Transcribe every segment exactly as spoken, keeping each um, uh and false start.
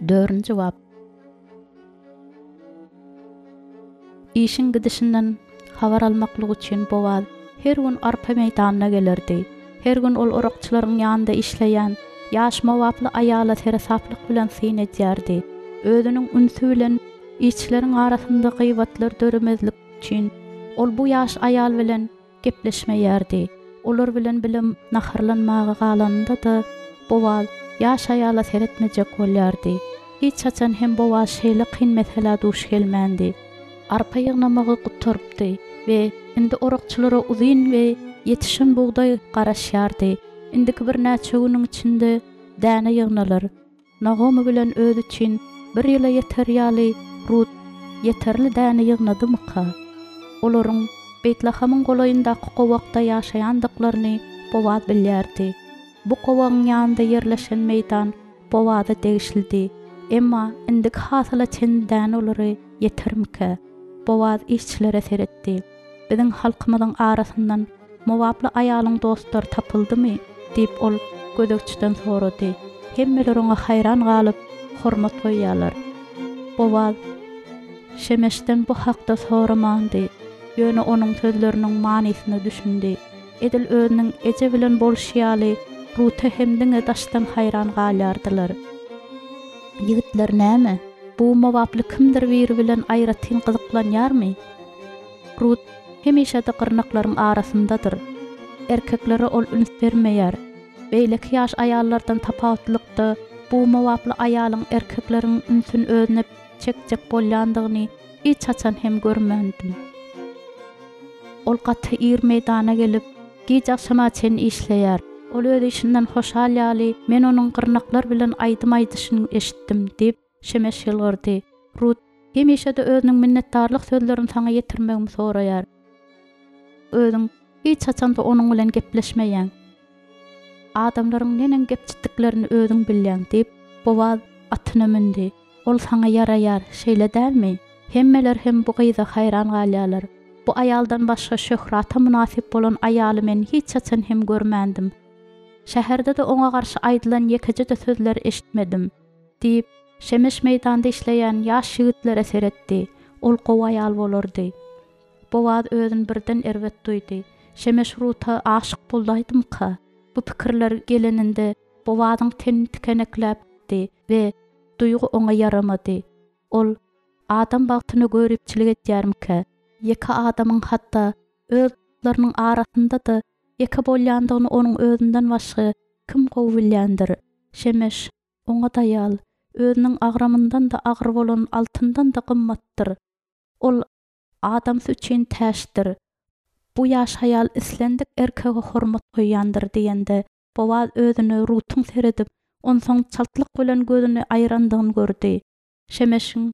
Dördünji bap. Işiň gidişinden habar almaklyk üçin Bowaz her gün arpa meýdanyna gelerdi. Her gün ol orakçylaryň ýanynda işleýän ýaş mowaply aýala seresaplyk bilen syn edýärdi. Özüniň ünsi bilen işçileriň arasynda gyýbatlar döremezlik üçin ol bu ýaş aýal bilen gepleşmeýärdi. Olar bilen bile naharlanmaga galanynda-da Bowaz ýaş aýala seretmejek bolýardy. Hiç haçan hem Bowaz şeýle kyn meselä duş gelmändi. Arpa ýygnamagy gutarypdy we indi orakçylara uzyn we ýetişen bugdaý garaşýardy. Indiki birnäçe günüň içinde däne ýygnalar. Nagomy bilen özi üçin bir ýyla ýeter ýaly Rut ýeterli däne ýygnadymyka? Olaryň Beýtlahamyň golaýyndaky gowakda ýaşaýandyklaryny Bowaz bilýärdi. Bu gowagyň ýanynda ýerleşen meýdan Bowaza degişlidi. Emma indiki hasyla çenli däne olary ýetermikä? Bowaz işçilere seretdi. Biziň halkymyzyň arasyndan mowaply aýalyň dostlary tapyldymy? Diýip ol gözegçiden sorady. Hemmeler oňa haýran galyp, hormat goýýarlar. Bowaz Şemeşden bu hakda soramandy. Ýöne onuň sözleriniň manysyna düşündi. Edil özüniň eje bilen bolşy ýaly, Ruta hem diňe daşdan haýran galýardylar. Ýigitler näme? Bu mowaply kimdir biri bilen aýratyn gyzyklanýarmy? Rut hemişe-de gyrnaklaryň arasyndadyr. Erkeklere ol üns bermeýär. Beýleki ýaş aýallardan tapawutlykda bu mowaply aýalyň erkekleriň ünsüni özüne çekjek bolýandygyny hiç haçan hem görmändim. Ol gaty ir meýdana gelip, giç agşama çenli işleýär. Ol öz işinden hoşal ýaly, men onuň gyrnaklar bilen aýdym aýdyşyny eşitdim, diýip, Şemeş ýylgyrdy. Rut hemişe-de özüniň minnetdarlyk sözlerini saňa ýetirmegimi soraýar. Özüň hiç haçan-da onuň bilen gepleşmeýäň. Adamlaryň neneň gepçitdiklerini özüň bilýäň, diýip, Bowaz atyna mündi. Ol saňa ýaraýar, şeýle dälmi? Hemmeler hem bu gyza haýran galýarlar. Bu aýaldan başga şöhrata mynasyp bolan aýaly men hiç haçan hem görmändim. Şäherde-de oňa garşy aýdylan ýekeje-de sözleri eşitmedim, diýip, Şemeş meýdanda işleýän ýaş ýigitlere seretdi. Ol gowy aýal bolardy. Bowaz özüni birden erbet duýdy. Şemeş Ruta aşyk bolaýdymyka? Bu pikirler geleninde Bowazyň teni tikenekläpdi we duýgy oňa ýaramady. Ol, Adam bagtyna göripçilik edýärmikä? Ýeke adamyň hatda öz dostlarynyň arasynda-da ýeke bolýandygyny onuň özünden başga kim gowy bilýändir? Şemeş, oňat aýal, özüniň agramyndan-da agyr bolan altyndan-da gymmatdyr. Ol adamsy üçin täçdir. Bu ýaş aýal islendik erkege hormat goýýandyr diýende, Bowaz özüne Rutuň seredip, onsoň çaltlyk bilen gözüni aýrandygyny gördi. Şemeşiň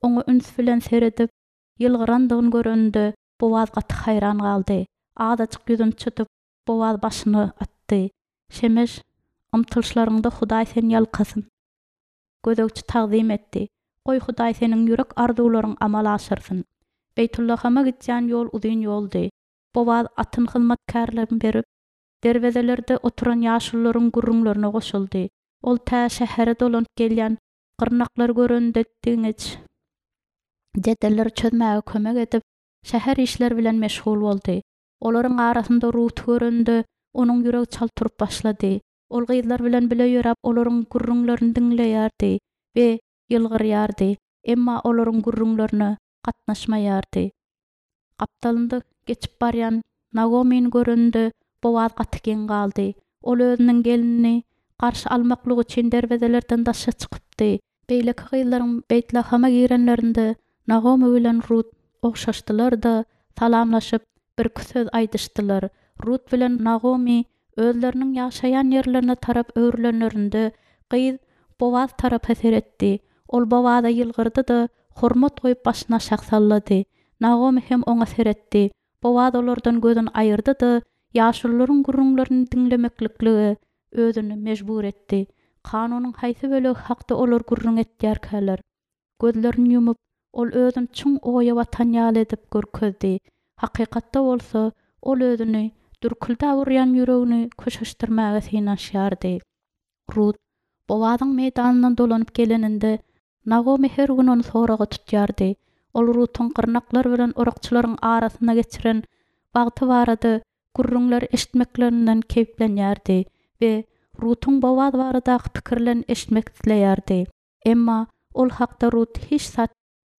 oňa üns bilen seredip, ýylgyrandygyny göreninde, Bowaz gaty haýran galdy. Azajyk ýüzüni çytyp, Bowaz başyny atdy. Şemeş, ymtylyşlaryňda Hudaý seni ýalkasyn. Gözegçi tagzym etdi. Goý, Hudaý seniň ýürek arzuwlaryňy amala aşyrsyn. Beýtullahama gidýän ýol uzyn ýoldy. Bowaz atyny hyzmatkärlerine berip, derwezelerde oturan ýaşulularyň gürrüňlerine goşuldy. Ol tä şähere dolanyp gelýän gyrnaklary görende diňeç jedelleri çözmäge kömek edip, şäher işleri bilen meşgul boldy. Olaryň arasynda Ruty görende, onuň ýüregi çalt urup başlady. Ol gyzlar bilen bile ýöräp, olaryň gürrüňlerini diňleýärdi we ýylgyrýardy, emma olaryň gürrüňlerine gatnaşmaýardy. Gapdalynda geçip barýan Nagomyny görende, Bowaz gaty geň galdy. Ol özüniň gelnini garşy almaklyk üçin derwezelerden daşa çykypdy. Beýleki gyzlaryň Beýtlahama girenlerinde Nagomy bilen Rut ogşaşdylar-da, salamlaşyp, birki söz aýdyşdylar. Rut bilen Nagomy özleriniň ýaşaýan ýerlerine tarap öwrülenlerinde, gyz Bowaz tarapa seretdi. Ol Bowaza ýylgyrdy-da, hormat goýup başyny aşak sallady. Nagomy hem oňa seretdi. Bowaz olardan gözüni aýyrdy-da, ýaşulularyň gürrüňlerini diňlemekliklige özüni mejbur etdi. Kanunyň haýsy bölegi hakda olar gürrüň etýärkäler? Gözlerini ýumup, ol özüni çuň oýa batan ýaly edip görkezdi. Hakykatda bolsa, ol özüni dürküldäp urýan ýüregini köşeşdirmäge synanyşýardy. Rut Bowazyň meýdanyndan dolanyp geleninde, Nagomy her gün ony soraga tutýardy. Ol Rutuň gyrnaklar bilen orakçylaryň arasynda geçiren wagty barada gürrüňler eşitmeklerinden keýplenýärdi we Rutuň Bowaz baradaky pikirlerini eşitmek isleýärdi. Emma ol hakda Rut hiç zat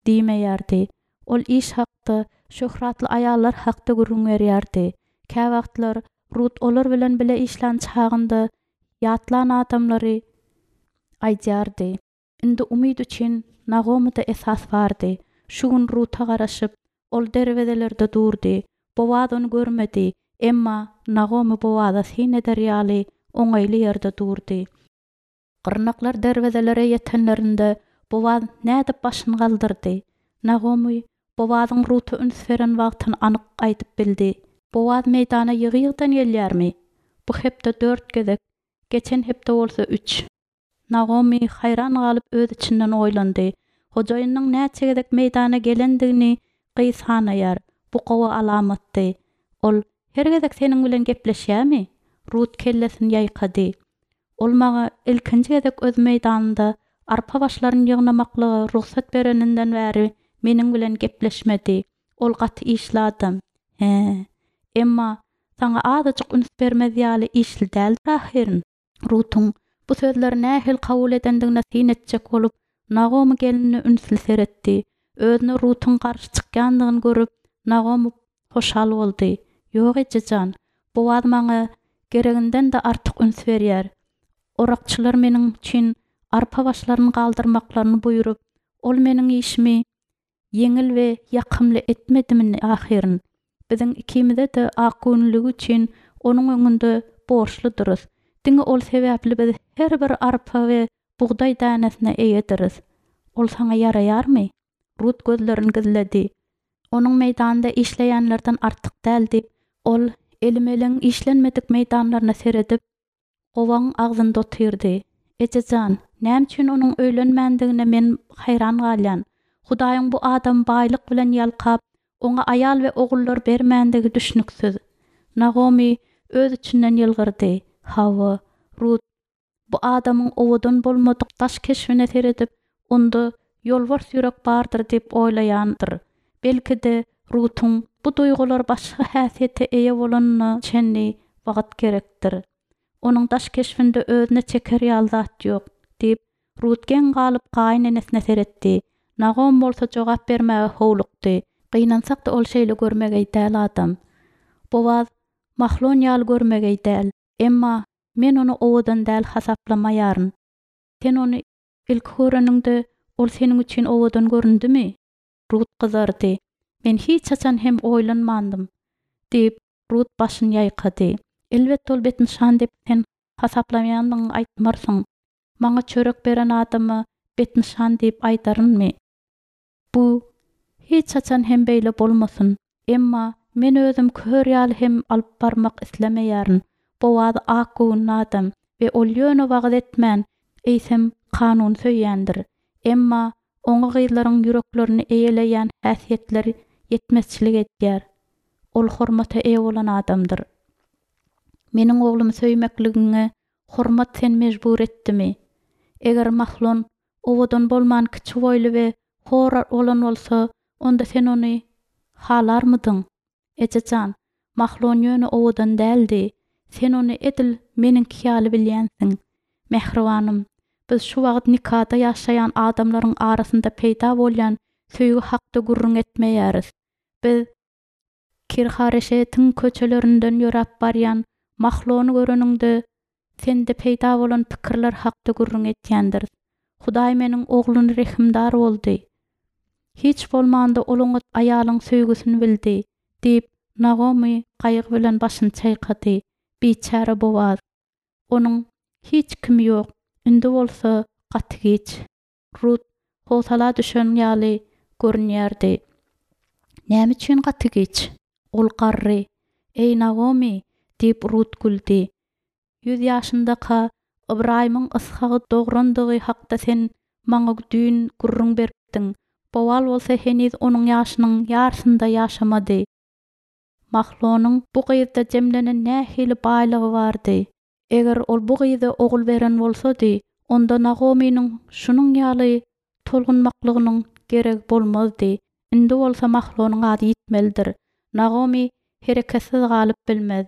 diýmeýärdi. Ol iş hakda, şöhratly aýallar hakda gürrüň berýärdi. Käwagtlar Rut olar bilen bile işlän çagynda ýatlan adamlary aýdýardy. Indi umyt üçin Nagomyda esas bardy. Şu gün Ruta garaşyp, ol derwezelerde durdy. Bowaz ony görmedi, emma Nagomy Bowaza syn eder ýaly oňaýly ýerde durdy. Gyrnaklar derwezelere ýetenlerinde Bowaz nädip başyny galdyrdy? Nagomy Bowazyň Ruta üns beren wagtyny anyk aýdyp bildi. Bowaz meýdana ýygy-ýygydan gelýärmi? Bu hepde dört gezek, geçen hepde bolsa üç. Nagomy haýran galyp öz içinden oýlandy. Hojaýynyň näçe gezek meýdana gelendigini gyz sanaýar. Bu gowy alamatdy. Ol her gezek seniň bilen gepleşýärmi? Rut kellesini ýaýkady. Ol maňa ilkinji gezek öz meýdanynda arpa başlaryny ýygnamaklyga rugsat bereninden bäri meniň bilen gepleşmedi. Ol gaty işli adam. He. Emma saňa azajyk üns bermez ýaly işli däldir ahyryn. Rutuň bu sözleri nähili kabul edendigine syn etjek bolup, Nagomy gelinine ünsli seretdi. Özüne Rutuň garşy çykýandygyny görüp, Nagomy hoşal boldy. Ýok ejejan, Bowaz maňa gereginden-de artyk üns berýär. Orakçylar meniň üçin arpa başlaryny galdyrmaklaryny buýrup, ol meniň işimi ýeňil we ýakymly etmedimi ahyryn. Biziň ikimize-de akgöwünligi üçin onuň öňünde borçludyrys. Diňe ol sebäpli biz her bir arpa we bugdaý dänesine eýediris. Ol saňa ýaraýarmy? Rut gözlerini gizledi. Onuň meýdanda işleýänlerden artyk däl diýip, ol Elimeligiň işlenmedik meýdanlaryna seredip, gowagyň agzynda otyrdy. Ejejan, näme üçin onuň öýlenmändigine men haýran galýan. Hudaýyň bu adamy baýlyk bilen ýalkap, oňa aýal we ogullar bermändigi düşnüksiz. Nagomy öz içinden ýylgyrdy. Hawa, Rut bu adamyň owadan bolmadyk daş keşbine seredip, onda ýolbars ýürek bardyr diýip oýlaýandyr. Belki-de Rutuň bu duýgular başga häsiýete eýe bolanyna çenli wagt gerekdir. Onuň daş keşbinde özüne çeker ýaly zat ýok, diýip, Rut geň galyp gaýynenesine seretdi. Nagom bolsa jogap bermäge howlukdy. Gynansak-da ol şeýle görmegeý däl adam. Bowaz Mahlon ýaly görmegeý däl. Emma men ony owadan däl hasaplamaýaryn. Sen ony ilki göreniňde ol seniň üçin owadan göründimi? Rut gyzardy. Men hiç haçan hem oýlanmandym, diýip, Rut başyny ýaýkady. Elbetde ol betnyşan diýip sen hasaplamaýandygyňy aýtmarsyň. Maňa çörek beren adama betnyşan diýip aýdarynmy? Bu hiç haçan hem beýle bolmasyn. Emma men özüm kör ýaly hem alyp barmak islemeýärin. Bowaz akgöwünli adam we ol ýöne wagyz etmän, eýsem kanun söýýändir. Emma oňa gyzlaryň ýüreklerini eýeleýän häsiýetler ýetmezçilik edýär. Ol hormata eýe bolan adamdyr. Meniň oglumy söýmekligiňe hormat sen mejbur etdimi? Eger Mahlon owadan bolman kiçi boýly we hor bolan bolsa, onda sen ony halarmydyň? Ejejan, Mahlon ýöne owadan däldi. Sen ony edil meniňki ýaly bilýänsiň. Mähribanym, biz şu wagt nikada ýaşaýan adamlaryň arasynda peýda bolýan söýgi hakda gürrüň etmeýäris. Biz Kirhareşetiň köçelerinden ýöräp barýan Mahlony göreniňde sende peýda bolan pikirler hakda gürrüň etýändiris. Hudaý meniň ogluny rehimdar boldy. Hiç bolmanda ol oňat aýalyň söýgüsini bildi, diýip, Nagomy gaýgy bilen başyny çaýkady. Biçäre Bowaz. Onuň hiç kimi ýok. Indi bolsa gaty giç. Rut howsala düşen ýaly görünýärdi. Näme üçin gaty giç? Ol garry. Ey Nagomy, diýip Rut güldi. Ýüz ýaşyndaka Ybraýymyň Yshagy dograndygy hakda sen maňa düýn gürrüň beripdiň. Bowaz bolsa heniz onuň ýaşynyň ýarysynda ýaşamady. Mahlonyň bu gyzda jemlenen nähili baýlygy bardy. Eger ol bu gyza ogul beren bolsady, onda Nagomynyň şunuň ýaly tolgunmaklygynyň geregi bolmazdy. Indi bolsa Mahlonyň ady ýitmelidir. Nagomy hereketsiz galyp bilmez.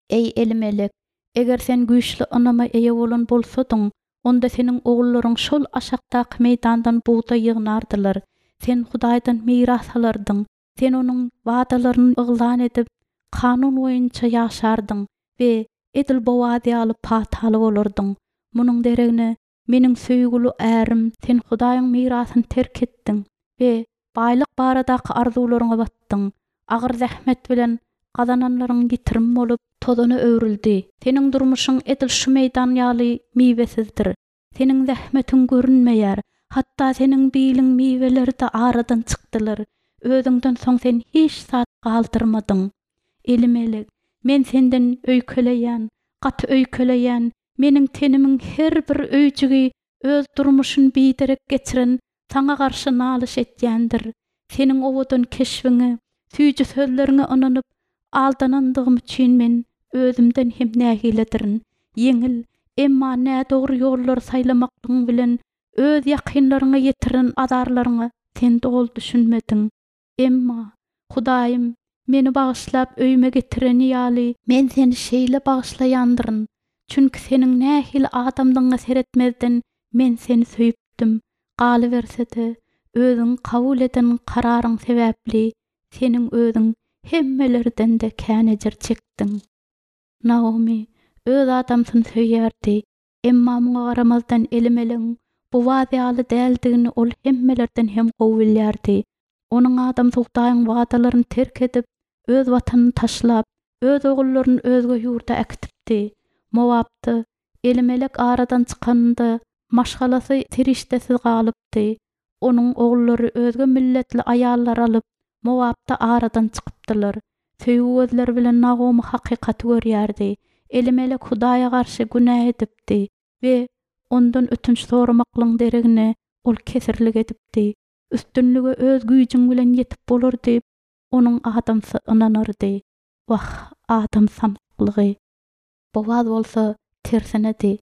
Eý, Elimelek, eger sen güýçli ynama eýe bolan bolsadyň, onda seniň ogullaryň şol aşakdaky meýdandan bugdaý ýygnardylar. Sen Hudaýdan miras alardyň. Sen Onuň wadalaryny yglan edip, kanun boýunça ýaşardyň we edil Bowaz ýaly pataly bolardyň. Munuň deregine, meniň söýgüli ärim, sen Hudaýyň mirasyny terk etdiň we baýlyk baradaky arzuwlaryňa batdyň. Agyr zähmet bilen gazananlaryň ýitirim bolup, tozana öwrüldi. Seniň durmuşyň edil şu meýdan ýaly miwesizdir. Seniň zähmetiň görünmeýär, hatda seniň biliň miweleri-de aradan çykdylar. Özüňden soň sen hiç zat galdyrmadyň. Elimelek, men senden öýkeleýän, gaty öýkeleýän, meniň tenimiň her bir öýjügi öz durmuşyny biderek geçiren saňa garşy nalyş etýändir. Seniň owadan keşbiňe, süýji sözleriňe ynanyp, aldanandygym üçin men özümden hem nägiledirin. Ýeňil, emma nädogry ýollary saýlamaklygyň bilen öz ýakynlaryňa ýetiren azarlaryňa sen doly düşünmediň. Emma, Hudaýym meni bagyşlap öýüme getireni ýaly, men seni şeýle bagyşlaýandyryn, çünki seniň nähili adamdygyňa seretmezden men seni söýüpdim. Galyberse-de, özüň kabul eden kararyň sebäpli seniň özüň hemmelerden-de kän ejir çekdiň. Naomi öz adamsyny söýýärdi, emma muňa garamazdan Elimelegiň Bowaz ýaly däldigini ol hemmelerden hem gowy bilýärdi. Onuň adamsy Hudaýyň wadalaryny terk edip, öz watanyny taşlap, öz ogullaryny özge ýurda äkidipdi. Mowapda Elimelek aradan çykanynda maşgalasy serişdesiz galypdy. Onuň ogullary özge milletli aýallary alyp, Mowapda aradan çykypdylar. Söýgi gözleri bilen Nagomy hakykaty görýärdi. Elimelek Hudaýa garşy günä edipdi we ondan ötünç soramaklygyň deregine ol kesirlik edipdi. Üstünlige öz güýjüň bilen ýetip bolar diýip, onuň adamsy ynanardy. Wah, adam samsyklygy! Bowaz bolsa tersinedi.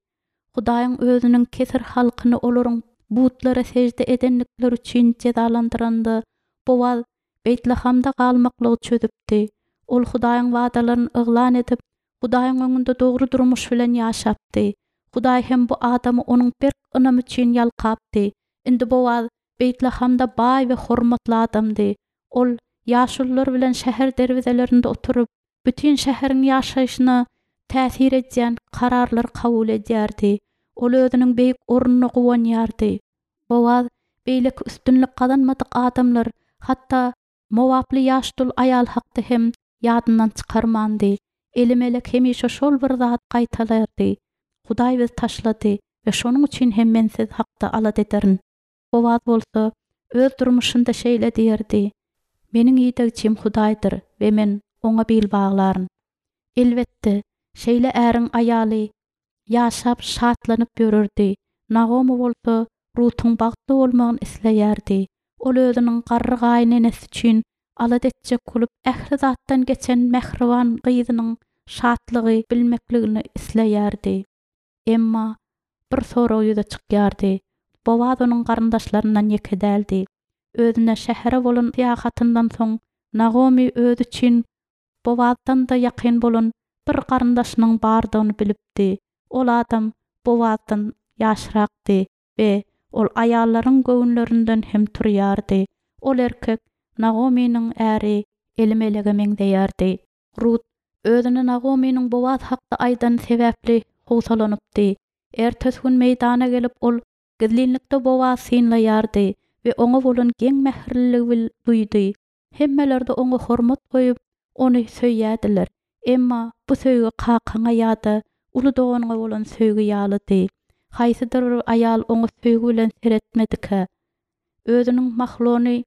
Hudaýyň özüniň kesir halkyny olaryň butlara sežde edendikleri üçin jezalandyranda, Bowaz Beýtlahamda galmaklygy çözüpdi. Ol Hudaýyň wadalaryny yglan edip, Hudaýyň öňünde dogry durmuş bilen ýaşapdy. Hudaý hem bu adamy onuň berk ynamy üçin ýalkapdy. Indi Bowaz Beýtlahamda baý we hormatly adamdy. Ol ýaşulular bilen şäher derwezelerinde oturyp, bütin şäheriň ýaşaýşyna täsir edýän kararlary kabul edýärdi. Ol özüniň beýik ornuna guwanýardy. Bowaz beýleki üstünlik gazanmadyk adamlar, hatda mowaply ýaş dul aýal hakda hem ýadyndan çykarmandy. Elimelek hemişe şol bir zat gaýtalardy. Hudaý bizi taşlady we şonuň üçin hem men siz hakda alada ederin. Bowaz bolsa öz durmuşynda şeýle diýerdi: Meniň idegçim Hudaýdyr we men oňa bil baglaryn. Elbetde, şeýle äriň aýaly ýaşap şatlanyp ýörerdi. Nagomy bolsa Rutuň bagtly bolmagyny isleýärdi. Ol özüniň garry gaýynenesi üçin alada etjek bolup, ähli zatdan geçen mähriban gyzynyň şatlygy bilmekligini isleýärdi. Emma bir sorag ýüze çykýardy. Bowaz onuň garyndaşlaryndan ýeke däldi. Özüne şähere bolan syýahatyndan soň Nagomy özi üçin Bowazdan-da ýakyn bolan bir garyndaşynyň bardygyny bilipdi. Ol adam Bowazdan ýaşrakdy we ol aýallaryň göwünlerinden hem turýardy. Ol erkek Nagomynyň äri Elimelege meňzeýärdi. Rut özüne Nagomynyň Bowaz hakda aýdany sebäpli howsalanypdy. Ertesi gün meýdana gelip ol gizlinlikde Bowaz synlaýardy we oňa bolan geň mähirliligi duýdy. Hemmeler-de oňa hormat goýup, ony söýýärdiler. Emma bu söýgi kakaňa ýa-da uly doganyňa bolan söýgi ýalydy. Haýsydyr bir aýal oňa söýgi bilen seretmedikä? Özüniň Mahlony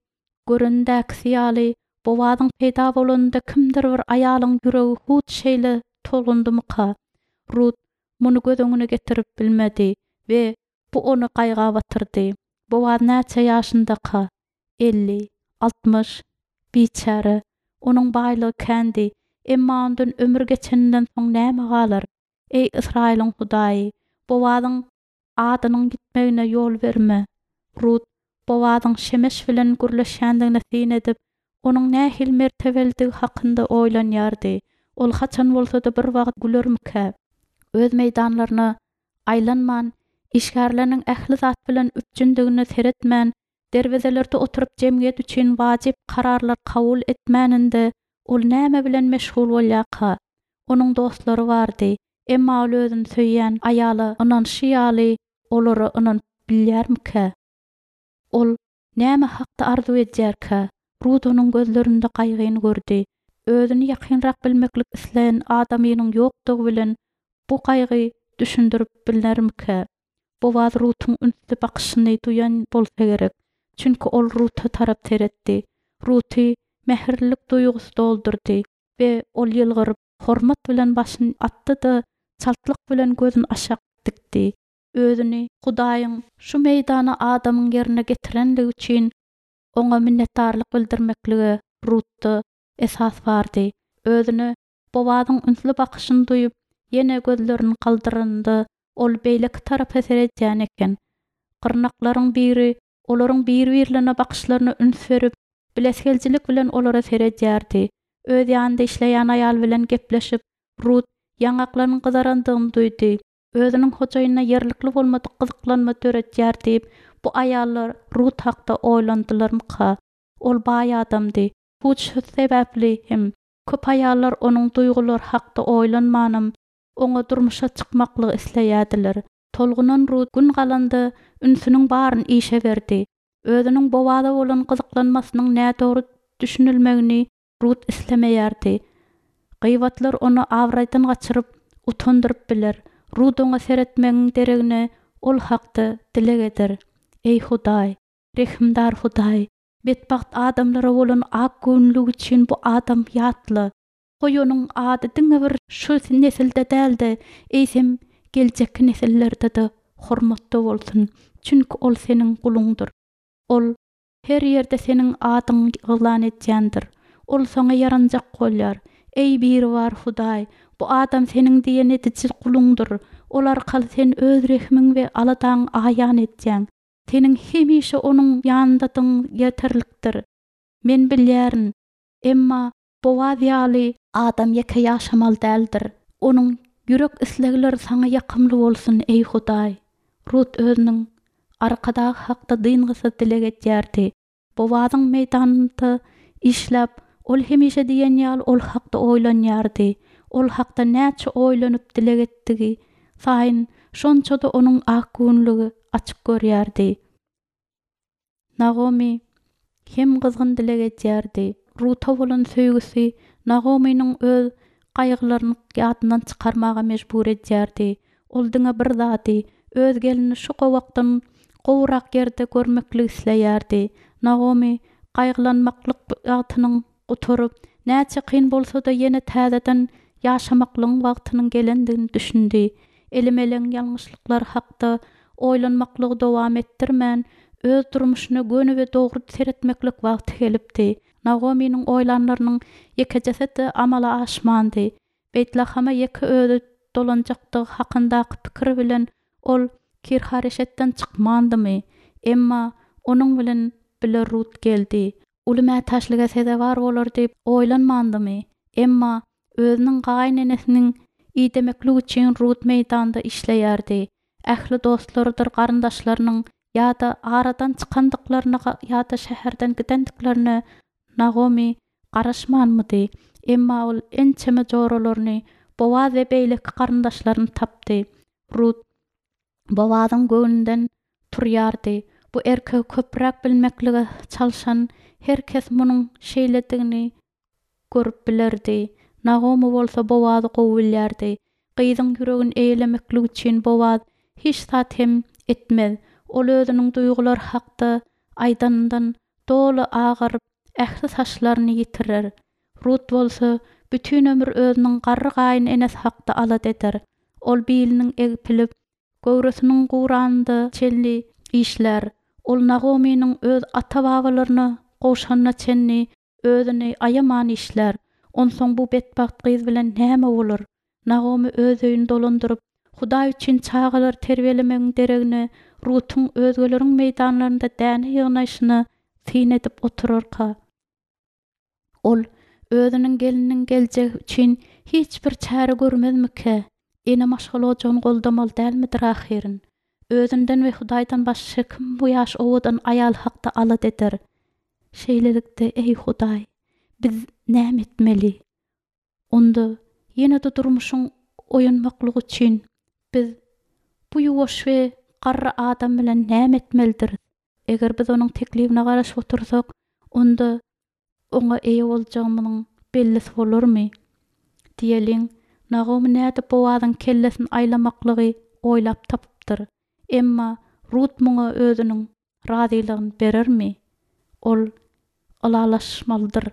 görendäkisi ýaly Bowazyň peýda bolanynda kimdir bir aýalyň ýüregi hut şeýle tolgundymyka? Rut muny göz öňüne getirip bilmedi we bu ony gaýga batyrdy. Bowaz näçe ýaşyndaka? Elli, altmyş? Biçäre. Onuň baýlygy kändi, emma ondan ömür geçeninden soň näme galar? Eý, Ysraýylyň Hudaýy, Bowazyň adynyň ýitmegine ýol berme. Rut Bowazyň Şemeş bilen gürleşýändigine syn edip, onuň nähili mertebelidigi hakynda oýlanýardy. Ol haçan bolsa-da bir wagt gülermikä? Öz meýdanlaryna aýlanman, işgärleriniň ähli zat bilen üpjündigine seretmän, derwezelerde oturyp jemgyýet üçin wajyp kararlar kabul etmäninde ol näme bilen meşgul bolýarka? Onuň dostlary bardy, emma ol özüni söýýän aýala ynanyşy ýaly olara ynanyp bilýärmikä? Ol näme hakda arzuw edýärkä? Rut onuň gözlerinde gaýgyny gördi. Özüni ýakynrak bilmeklik isleýän adamynyň ýokdugy bilen bu gaýgy düşündirip bilnermikä? Bowaz Rutuň ünsli bakyşyny duýan bolsa gerek. Çünki ol Ruta tarap seretdi. Ruty mähirlilik duýgusy doldurdy we ol ýylgyryp, hormat bilen başyny atdy-da, çaltlyk bilen gözüni aşak dikdi. Özüni Hudaýyň şu meýdana adamyň ýerine getirenligi üçin oňa minnetdarlyk bildirmeklige Rutda esas bardy. Özüne Bowazyň ünsli bakyşyny duýup, ýene gözlerini galdyranda ol beýleki tarapa seredýän eken. Gyrnaklaryň biri olaryň bir-birlerine bakyşlaryna üns berip, bilesigeljilik bilen olara seredýärdi. Öz ýanynda işleýän aýal bilen gepleşip, Rut ýaňaklarynyň gyzarandygyny duýdy. Özüniň hojaýynyna ýerlikli bolmadyk gyzyklanma döredýär diýip, bu aýallar Rut hakda oýlandylarmyka? Ol baý adamdy. Hut şu sebäpli hem köp aýallar onuň duýgulary hakda oýlanmanam, oňa durmuşa çykmaklygy isleýärdiler. Tolgunan Rut gün galanda ünsüniň baryny işe berdi. Özüniň Bowaza bolan gyzyklanmasynyň nädogry düşünilmegini Rut islemeýärdi. Gyýbatlar ony abraýdan gaçyryp, utandyryp biler. Rut oňa seretmegiň deregine ol hakda dileg eder. Eý Hudaý, rehimdar Hudaý, betbagt adamlara bolan ak göwünligi üçin bu adam ýatla. Goý onuň ady diňe bir şu nesilde däl-de, eýsem geljekki nesillerde-de hormatda bolsun. Çünki ol seniň guluňdyr. Ol her ýerde seniň adyňy yglan edýändir. Ol saňa ýaranjak bolýar. Eý Biribar Hudaý, bu adam seniň diýen ediji guluňdyr. Ol arkaly sen öz rehimiň we aladaňy aýan edýäň. Seniň hemişe onuň ýanyndadygyň ýeterlikdir. Men bilýärin, emma Bowaz ýaly adam ýeke ýaşamaly däldir. Onuň ýürek islegleri saňa ýakymly bolsun, eý Hudaý. Rut özüniň arkadagy hakda dyngysyz dileg edýärdi. Bowazyň meýdanynda işläp, ol hemişe diýen ýaly ol hakda oýlanýardy. Ol hakda näçe oýlanyp dileg etdigi saýyn, şonça-da onuň ak göwünligi açyk görýärdi. Nagomy hem gyzgyn dileg edýärdi. Ruta bolan söýgüsi Nagomynyň öz gaýgylaryny ýadyndan çykarmaga mejbur edýärdi. Ol diňe bir zady, öz gelnini şu gowakdan gowurak ýerde görmekligi isleýärdi. Nagomy gaýgylanmaklyk wagtynyň gutaryp, näçe kyn bolsa-da ýene täzeden ýaşamaklygyň wagtynyň gelendigini düşündi. Elimeleň ýalňyşlyklary hakda oýlanmaklygy dowam etdirmän, öz durmuşyna göni we dogry seretmeklik wagty gelipdi. Nagomynyň oýlanlarynyň ýekejesi-de amala aşmandy. Beýtlahama ýeke özi dolanjakdygy hakyndaky pikir bilen ol Kirhareşetden çykmandymy? Emma onuň bilen bile Rut geldi. Uly mätäçlige sezewar bolar diýip oýlanmandymy? Emma özüniň gaýynenesiniň idemeklik üçin Rut meýdanda işleýärdi. Ähli dostlarydyr garyndaşlarynyň ýa-da aradan çykandyklaryna ýa-da şäherden gidendiklerine Nagomy garaşmanmydy? Emma ol ençeme joralaryny, Bowaz we beýleki garyndaşlaryny tapdy. Rut Bowazyň göwnünden turýardy. Bu erkegi köpräk bilmeklige çalşan her kes munuň şeýledigini görüp bilerdi. Nagomy bolsa Bowazy gowy bilýärdi. Gyzyň ýüregini eýlemeklik üçin Bowaz hiç zat hem etmez. Ol özüniň duýgulary hakda aýdanyndan doly agaryp, ähli saçlaryny ýitirer. Rut bolsa bütin ömür özüniň garry gaýyn enesi hakda alada eder. Ol biliniň egpilip, göwresiniň guranynda çenli işlär. Ol Nagomynyň öz ata-babalaryna gowşanyna çenli özüni aýaman işlär. Onsoň bu betbagt gyz bilen näme bolar? Nagomy öz öýüni dolandyryp, Hudaý üçin çagalary terbiýelemegiň deregine Rutuň özgeleriň meýdanlarynda däne ýygnaýşyna syn edip oturarka? Ol özüniň gelniniň geljegi üçin hiç bir çäre görmezmikä? Ene maşgala ojagyny goldamaly dälmidir ahyryn? Özünden we Hudaýdan başga kim bu ýaş owadan aýal hakda alada eder? Şeýlelikde, eý Hudaý, biz näme etmeli? Onda ýene-de durmuşyň oýanmaklygy üçin biz bu ýuwaş we garry adam bilen näme etmelidiris? Eger biz onuň teklibine garaşyp otursak, onda oňa eýe boljagymyzyň bellisi bolarmy? Diýeliň, Nagomy nädip Bowazyň kellesini aýlamaklygy oýlap tapypdyr? Emma Rut muňa özüniň razylygyny berermi? Ol ylalaşmalydyr.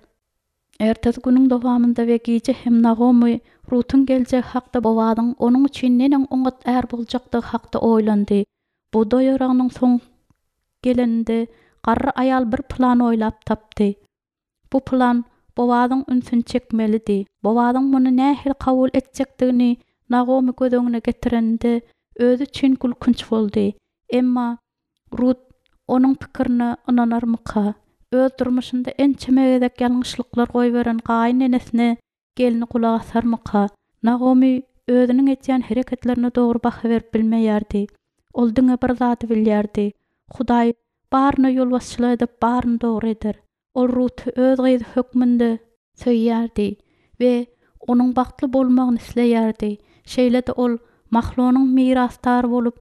Ertesi günüň dowamynda we gije hem Nagomy Rutuň geljegi hakda Bowazyň onuň üçin neneň oňat är boljakdygy hakda oýlandy. Bugdaý oragynyň soň geleninde garry aýal bir plan oýlap tapdy. Bu plan Bowazyň ünsüni çekmelidi. Bowazyň muny nähili kabul etjekdigini Nagomy göz öňüne getireninde özi üçin gülkünç boldy. Emma Rut onuň pikirine ynanarmyka? Öz durmuşynda ençeme gezek ýalňyşlyklar goýberen gaýyn enesine gelni gulak asarmyka? Nagomy özüniň edýän hereketlerine dogry baha berip bilmeýärdi. Ol diňe bir zady bilýärdi, Hudaý baryna ýolbaşçylyk edip, baryny dogry eder. Ol Ruty öz gyzy hökmünde söýýärdi we onuň bagtly bolmagyny isleýärdi. Şeýle-de ol Mahlonyň mirasdary bolup,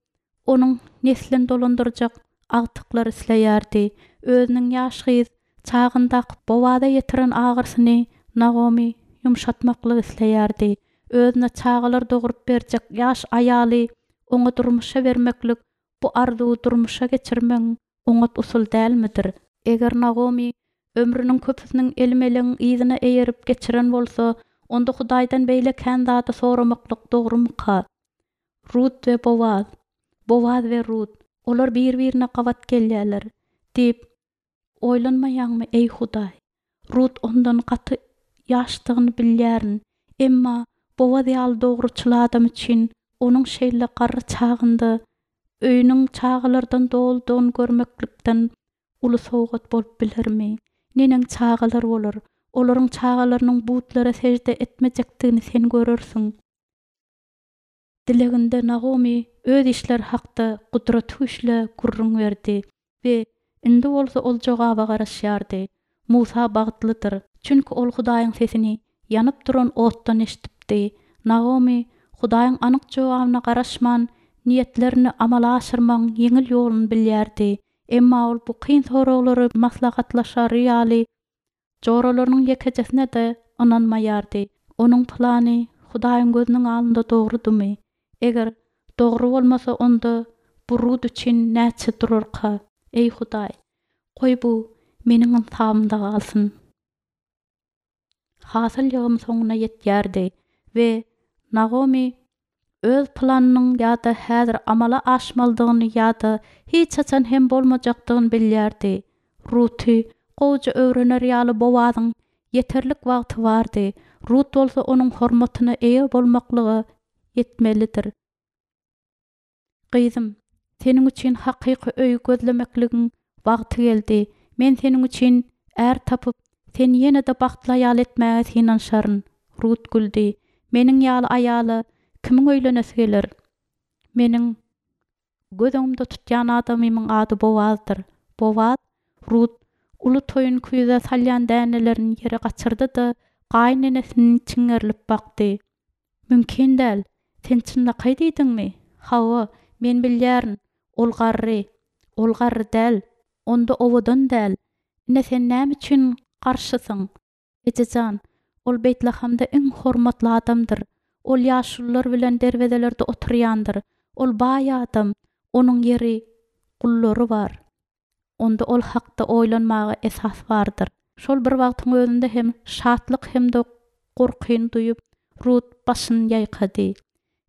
onuň neslini dolandyrjak agtyklar isleýärdi. Özüniň ýaş gyz çagyndaky Bowaza ýetiren agyrsyny Nagomy ýumşatmaklyk isleýärdi. Özüne çagalar dogrup berjek ýaş aýaly oňa durmuşa bermeklik bu arzuwy durmuşa geçirmegiň oňat usuly dälmidir? Eger Nagomy ömrüniň köpüsiniň Elimelegiň yzyna eýerip geçiren bolsa, onda Hudaýdan beýle kän zady soramaklyk dogrumyka? Rut we Bowaz, Bowaz we Rut, olar bir-birine gabat gelýärler diýip, oýlanmaýaňmy, eý Hudaý? Rut ondan gaty ýaşdygyny bilýärin, emma Bowaz ýaly dogruçyl adam üçin onuň şeýle garry çagynda öýüniň çagalardan doludygyny görmeklikden uly sowgat bolup bilermi? Neneň çagalar bolar? Olaryň çagalarynyň butlara sežde etmejekdigini sen görersiň. Dileginde Nagomy öz işleri hakda Gudratygüýçlä gürrüň berdi we indi bolsa ol jogaba garaşýardy. Musa bagtlydyr, çünki ol Hudaýyň sesini ýanyp duran otdan eşidipdi. Nagomy Hudaýyň anyk jogabyna garaşman, niýetlerini amala aşyrmagyň ýeňil ýoluny bilýärdi. Emma ol bu kyn soraglary maslahatlaşary ýaly joralarynyň ýekejesine-de ynanmaýardy. Onuň plany Hudaýyň gözüniň alnynda dogrudymy? Eger dogry bolmasa, onda bu Rut üçin näçe durarka? Eý Hudaý, goý bu meniň ynsabymda galsyn. Hasyl ýygymy soňuna ýetýärdi we Nagomy öz planynyň ýa-da häzir amala aşmalydygyny ýa-da hiç haçan hem bolmajakdygyny bilýärdi. Ruty gowuja öwrener ýaly Bowazyň ýeterlik wagty bardy, Rut bolsa onuň hormatyna eýe bolmaklyga ýetmelidir. Gyzym, seniň üçin hakyky öý gözlemekligiň wagty geldi. Men seniň üçin är tapyp, seni ýene-de bagtly aýal etmäge synanyşaryn. Rut güldi. Meniň ýaly aýala kimiň öýlenesi geler? Meniň göz öňümde tutýan adamymyň ady Bowazdyr. Bowaz? Rut uly toýun küýzä salýan dänelerini ýere gaçyrdy-da, gaýynenesini çiňerilip bakdy. Mümkin däl. Sen çynlakaý diýdiňmi? Hawa, men bilýärin. Ol garry. Ol garry däl. Onda owadan däl. Ine sen näme üçin garşysyň? Eje jan, ol Beýtlahamda iň hormatly adamdyr. Ol ýaşulular bilen derwezelerde oturýandyr. Ol baý adam. Onuň ýeri, gullary bar. Onda ol hakda oýlanmaga esas bardyr. Şol bir wagtyň özünde hem şatlyk hem-de gorkyny duýup, Rut başyny ýaýkady.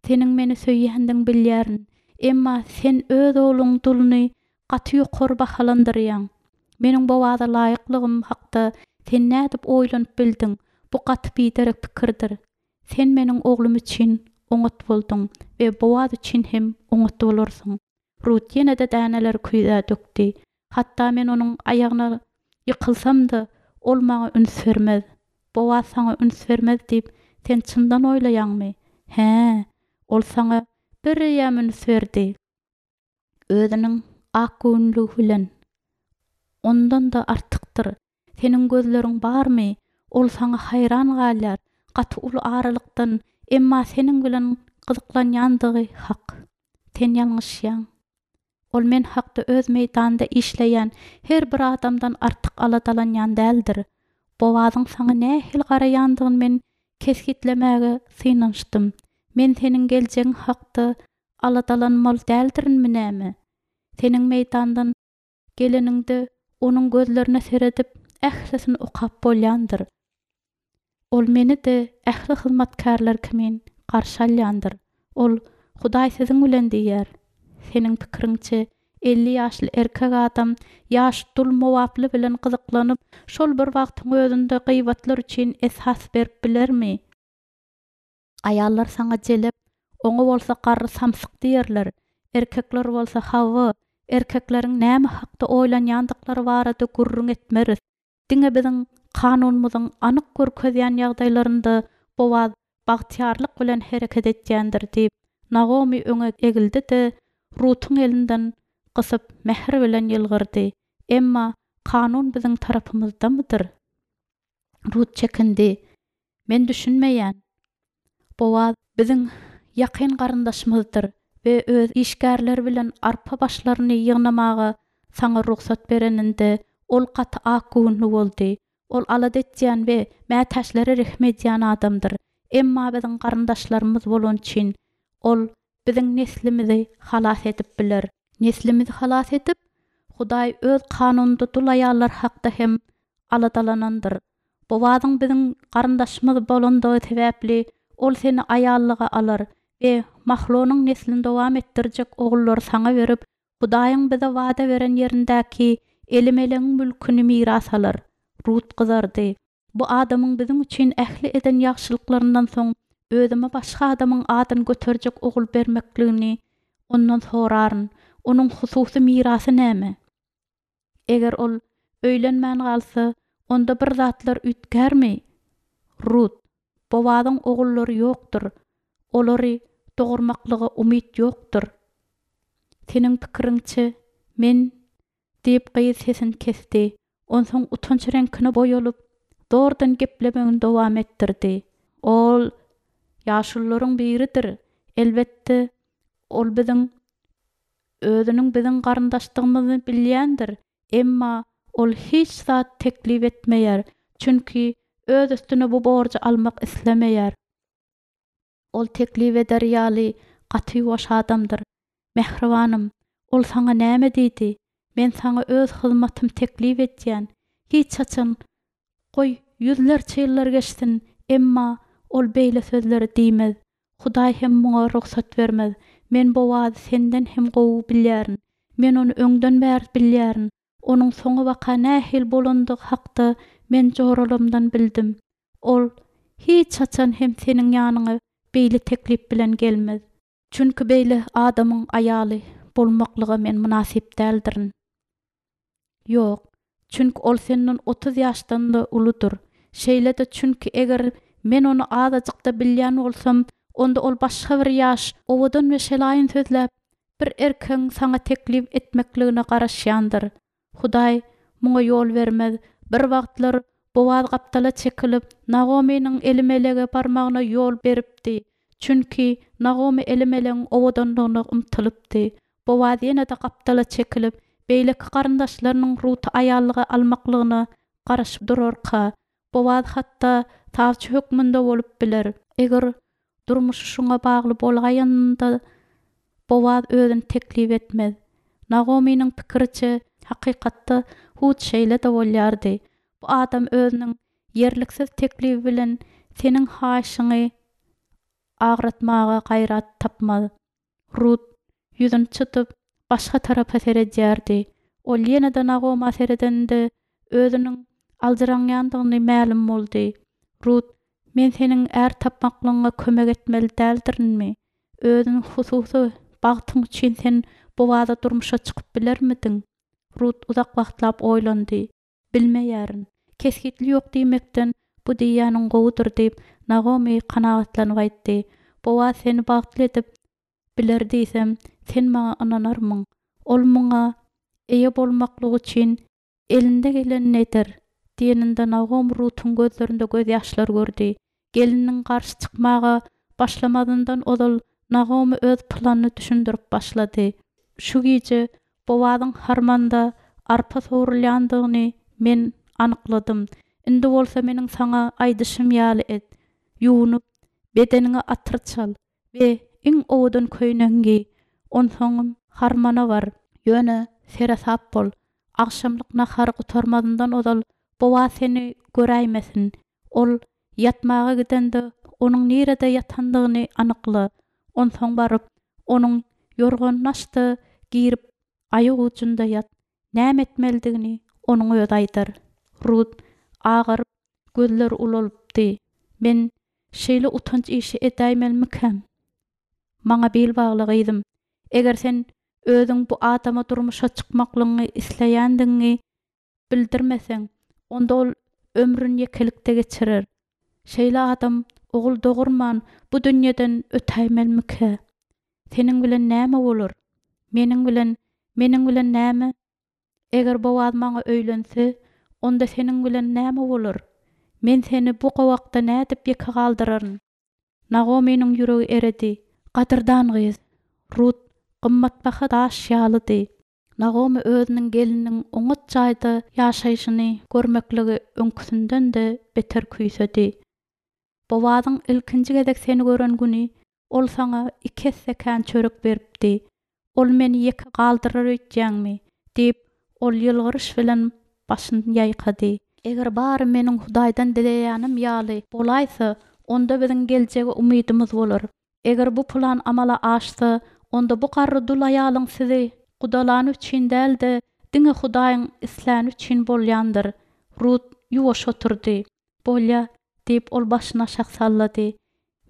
Seniň meni söýýändigiňi bilýärin. Emma sen öz ogluň duluny gaty ýokary bahalandyrýaň. Meniň Bowaza laýyklygym hakda sen nädip oýlanyp bildiň? Bu gaty biderek pikirdir. Sen meniň oglum üçin oňat bolduň we Bowaz üçin hem oňat bolarsyň. Rut ýene-de däneleri küýzä dökdi. Hatda men onuň aýagyna ýykylsam-da, ol maňa üns bermez. Bowaz saňa üns bermez diýip, sen çyndan oýlaýaňmy? Hä, ol saňa bireýýäm üns berdi. Özüniň akgöwünligi bilen. Ondan-da artykdyr. Seniň gözleriň barmy? Ol saňa haýran galýar, gaty uly aralykdan, emma seniň bilen gyzyklanýandygy hak. Sen ýalňyşýaň. Ol men hakda öz meýdanda işleýän her bir adamdan artyk aladalanýan däldir. Bowazyň saňa nähili garaýandygyny men kesgitlemäge synanyşdym. Men seniň geljegiň hakda aladalanmaly däldirinmi näme? Seniň meýdandan geleniňde onuň gözlerine seredip, ählisini okap bolýandyr. Ol meni-de ähli hyzmatkärler kimin garşy alýandyr. Ol, Hudaý siziň bilen diýýär. Seniň pikiriňçe, elli ýaşly erkek adam ýaş dul mowaply bilen gyzyklanyp, şol bir wagtyň özünde gyýbatlar üçin esas berip bilermi? Aýallar saňa jelep, oňa bolsa garry samsyk diýerler. Erkekler bolsa, hawa, erkekleriň näme hakda oýlanýandyklary barada gürrüň etmeris. Diňe biziň kanunymyzyň anyk görkezýän ýagdaýlarynda Bowaz bagtyýarlyk bilen hereket etýändir diýip, Nagomy öňe egildi-de, Rutuň elinden gysyp, mähir bilen ýylgyrdy. Emma kanun biziň tarapymyzdamydyr? Rut çekindi. Men düşünmeýän. Bowaz biziň ýakyn garyndaşymyzdyr we öz işgärleri bilen arpa başlaryny ýygnamaga saňa rugsat bereninde, ol gaty akgöwünli boldy. Ol alada etýän we mätäçlere rehim edýän adamdyr. Emma biziň garyndaşlarymyz bolany üçin, ol biziň neslimizi halas edip biler. Neslimizi halas edip, Hudaý öz kanunynda dul aýallar hakda hem aladalanandyr. Bowazyň biziň garyndaşymyz bolandygy sebäpli, ol seni aýallyga alar we Mahlonyň neslini dowam etdirjek ogullary saňa berip, Hudaýyň bize wada beren ýerindäki Elimelegiň mülküni miras alar. Rut gyzardy. Bu adamyň biziň üçin ähli eden ýagşylyklaryndan soň özüme başga adamyň adyny göterjek ogul bermekligini ondan soraryn. Onuň hususy mirasy näme? Eger ol öýlenmän galsa, onda bir zatlar üýtgärmi? Rut, Bowazyň ogullary ýokdur. Olary dogurmaklyga umyt ýokdur. Seniň pikiriňçe, men, diýip, gyz sesini kesdi. Onsoň utanç reňkine boýalyp, zordan geplemegini dowam etdirdi. Ol ýaşulularyň biridir. Elbetde, ol biziň özüniň biziň garyndaşdygymyzy bilýändir. Emma ol hiç zat teklip etmeýär, çünki öz üstüne bu borjy almak islemeýär. Ol teklip eder ýaly gaty ýuwaş adamdyr. Mähribanym, ol saňa näme diýdi? Men saňa öz hyzmatymy teklip edýän. Hiç haçan, goý, ýüzlerçe ýyllar geçsin, emma ol beýle sözleri diýmez. Hudaý hem muňa rugsat bermez. Men Bowazy senden hem gowy bilýärin. Men ony öňden bäri bilýärin. Onuň soňabaka nähili bolandygy hakda men joralarymdan bildim. Ol hiç haçan hem seniň ýanyňa beýle teklip bilen gelmez. Çünki beýle adamyň aýaly bolmaklyga men mynasyp däldirin. Ýok, çünki ol senden otuz ýaşdan-da uludyr. Şeýle-de çünki eger men ony azajyk-da bilýän bolsam, onda ol başga bir ýaş, owadan we şelaýyn sözläp, bir erkegiň saňa teklip etmekligine garaşýandyr. Hudaý muňa ýol bermez. Bir wagtlar Bowaz gapdala çekilip, Nagomynyň Elimelege barmagyna ýol beripdi. Çünki Nagomy Elimelegiň owadanlygyna ymtylypdy. Bowaz ýene-de gapdala çekilip, beýleki garyndaşlarynyň Ruty aýallyga almaklygyna garaşyp durarka, Bowaz hatda sawçy hökmünde bolup biler. Eger durmuşy şuňa bagly bolaýanynda, Bowaz özüni teklip etmez. Nagomynyň pikiriçe, hakykatda hut şeýle-de bolýardy. Bu adam özüniň ýerliksiz teklibi bilen seniň haýyşyňy agratmaga gaýrat tapmaz. Rut ýüzüni çytyp, başga tarapa seredýärdi. Ol ýene-de Nagoma seredende, özüniň aljyraňýandygyny mälim boldy. Rut, Men seniň är tapmaklygyňa kömek etmeli däldirinmi? Özüň hususy bagtyň üçin sen Bowaza durmuşa çykyp bilermidiň? Rut uzak wagtlap oýlandy. Bilmeýärin. Kesgitli ýok diýmekden bu diýýäniň gowudyr diýip, Nagomy kanagatlanyp aýtdy. Bowaz seni bagtly edip biler diýsem, sen maňa ynanarmyň? Ol muňa eýe bolmaklyk üçin elinde gelenini eder, diýeninde Nagomy Rutuň gözlerinde gözýaşlar gördi. Gelniniň garşy çykmaga başlamazyndan ozal Nagomy öz planyny düşündirip başlady. Şu gije Bowazyň harmanda arpa sowrulýandygyny men anykladym. Indi bolsa meniň saňa aýdyşym ýaly et. Ýuwunyp, bedeniňe atyr çal we iň owadan köýnegiňi geý. Onsoňam harmana bar. Ýöne seresap bol. Agşamlyk nahary gutarmazyndan ozal Bowaz seni göräýmesin. Ol ýatmaga gidende onuň nirede ýatandygyny anykla. Onsoň baryp, onuň ýorganyny aç-da, girip, aýagujunda ýat. Näme etmelidigini onuň özi aýdar. Rut agaryp, gözleri ulalypdy. Men şeýle utanç işi edäýmelimikäm? Maňa bil bagla, gyzym. Eger sen özüň bu adama durmuşa çykmaklygyňy isleýändigiňi bildirmeseň, onda ol ömrüni ýekelikde geçirer. Şeýle adam ogul dogurman bu dünýeden ötäýmelimikä? Seniň bilen näme bolar? Meniň bilen, meniň bilen näme? Eger Bowaz maňa öýlense, onda seniň bilen näme bolar? Men seni bu gowakda nädip ýeke galdyraryn? Nagomynyň ýüregi eredi. Gadyrdan gyz, Rut gymmatbaha daş ýalydy. Nagomy özüniň gelniniň oňat jaýda ýaşaýşyny görmekligi öňküsinden-de beter küýsedi. Bowazyň ilkinji gezek seni gören güni ol saňa iki esse kän çörek beripdi. Ol meni ýeke galdyrar öýtýäňmi? diýip, ol ýylgyryş bilen başyny ýaýkady. Eger bary meniň Hudaýdan dileýänim ýaly bolaýsa, onda biziň geljege umydymyz bolar. Eger bu plan amala aşsa, onda bu garry dul aýalyň sizi gudalany üçin däl-de, diňe Hudaýyň isläni üçin bolýandyr. Rut ýuwaş oturdy. Bolýa, diýip, ol başyny aşak sallady.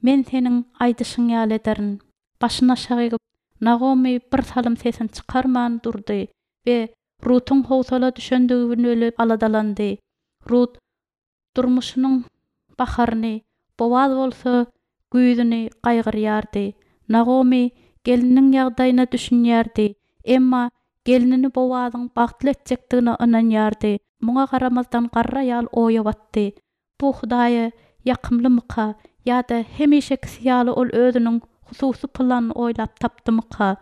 Men seniň aýdyşyň ýaly ederin. Başyny aşak egip, Nagomy bir salym sesini çykarman durdy we Rutuň howsala düşendigini bilip aladalandy. Rut durmuşynyň baharyny, Bowaz bolsa güýzüni gaýgyrýardy. Nagomy gelniniň ýagdaýyna düşünýärdi, emma gelnini Bowazyň bagtly etjekdigine ynanýardy. Muňa garamazdan garry aýal oýa batdy. Bu Hudaýa ýakymlymyka ýa-da hemişekisi ýaly ol özüniň hususy planyny oýlap tapdymyka?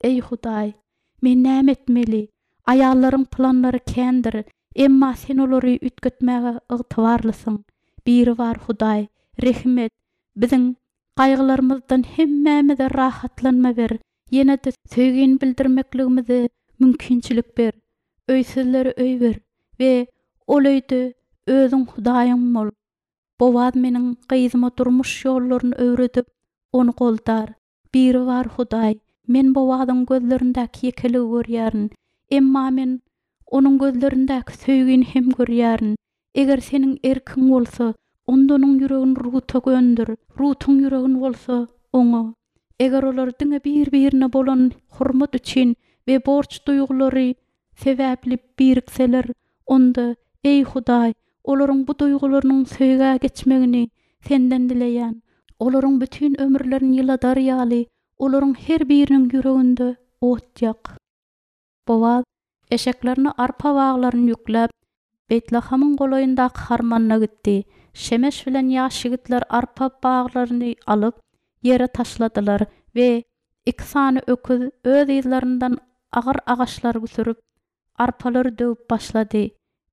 Eý Hudaý, men näme etmeli? Aýallaryň planlary kändir, emma Sen olary üýtgetmäge ygtybarlysyň. Biribar Hudaý, rehim et, biziň gaýgylarymyzdan hemmämize rahatlanma ber, ýene-de söýgini bildirmekligimize mümkinçilik ber. Öýsüzlere öý ber we ol öýde Özüň Hudaýyň bol. Bowaz meniň gyzyma durmuş ýollaryny öwredip, ony goldar. Biribar Hudaý, men Bowazyň gözlerindäki ýekeligi görýärin. Emma men onuň gözlerindäki söýgini hem görýärin. Eger Seniň erkiň bolsa, onda onuň ýüregini Ruta göndür, Rutuň ýüregini bolsa, oňa. Eger olar diňe bir-birine bolan hormat üçin we borç duýgulary sebäpli birikseler, onda, eý Hudaý, olaryň bu duýgularynyň söýgä geçmegini Senden dileýän. Olaryň bütin ömürlerini ýyladar ýaly, olaryň her biriniň ýüreginde ot ýak. Bowaz eşeklerine arpa baglaryny ýükläp, Beýtlahamyň golaýyndaky harmanyna gitdi. Şemeş bilen ýaş ýigitler arpa baglaryny alyp, ýere taşladylar we iki sany öküz öz yzlaryndan agyr agaçlary sürüp, arpalary döwüp başlady.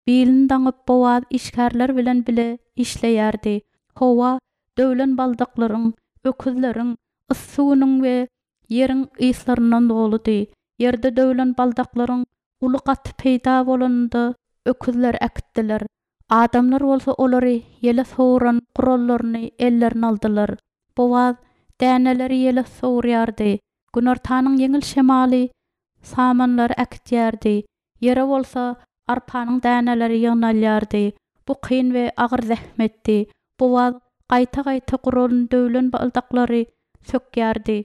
Bilini daňyp Bowaz işgärler bilen bile işleýärdi. Howa döwlen baldaklaryň, öküzleriň, yssy günüň we ýeriň yslaryndan doludy. Ýerde döwlen baldaklaryň uly gaty peýda bolanynda öküzleri äkitdiler. Adamlar bolsa olary ýele sowran gurallaryny ellerine aldylar. Bowaz däneleri ýele sowurýardy. Günortanyň ýeňil şemaly samanlary äkitýärdi. Ýere bolsa arpanyň däneleri ýygnalýardy. Bu kyn we agyr zähmetdi. Bowaz gaýta-gaýta guran döwlen baldaklary sökýärdi.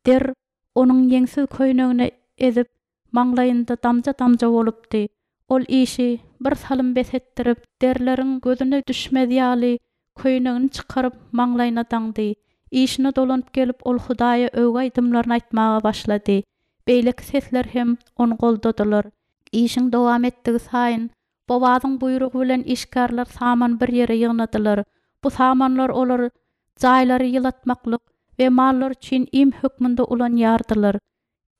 Der onuň ýeňsiz köýnegini ezip, maňlaýynda damja-damja bolupdy. Ol işi bir salym bes etdirip, derleriň gözüne düşmez ýaly köýnegini çykaryp maňlaýyna daňdy. Işine dolanyp gelip ol Hudaýa öwgi aýdymlaryny aýtmaga başlady. Beýleki sesler hem ony goldadylar. Işiň dowam etdigi saýyn Bowazyň buýrugy bilen işgärler saman bir ýere ýygnadylar. Bu samanlar olar jaýlary ýylatmaklyk we mallar üçin iým hökmünde ulanýardylar.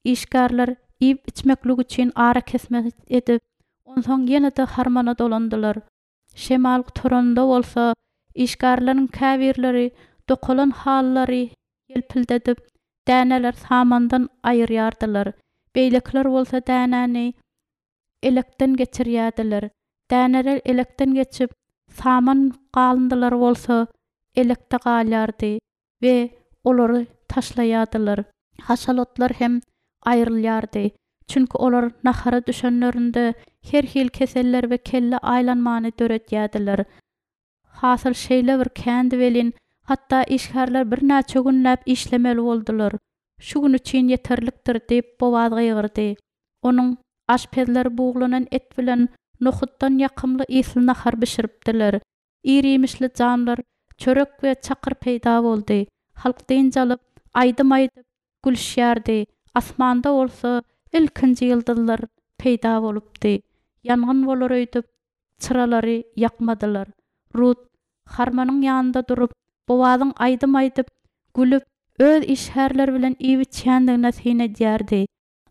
Işgärler iýip-içmeklik üçin arakesme edip, onsoň ýene-de harmana dolandylar. Şemal gutaranynda bolsa, işgärleriň käbirleri dokalan halylary ýelpildedip, däneleri samandan aýyrýardylar. Beýlekiler bolsa dänäni elekden geçirýärdiler. Däneler elekden geçip, saman galyndylary bolsa elekde galýardy we olary taşlaýardylar. Haşal otlar hem aýrylýardy. Çünki olar nahara düşenlerinde her hili keseller we kelle aýlanmany döredýärdiler. Hasyl şeýle bir kändi welin, hatda işgärler birnäçe günläp işlemeli boldular. Şu gün üçin ýeterlikdir diýip Bowaz gygyrdy. Onuň aşpezleri buglanan et bilen nohutdan ýakymly ysly nahar bişiripdiler. Ir-iýmişli jamlar, çörek we çakyr peýda boldy. Halk dynç alyp, aýdym aýdyp, gülüşýärdi. Asmanda bolsa ilkinji ýyldyzlar peýda bolupdy. Ýangyn bolar öýdüp, çyralary ýakmadylar. Rut harmanyň ýanynda durup, Bowazyň aýdym aýdyp, gülüp, öz işgärleri bilen iýip-içýändigine syn edýärdi.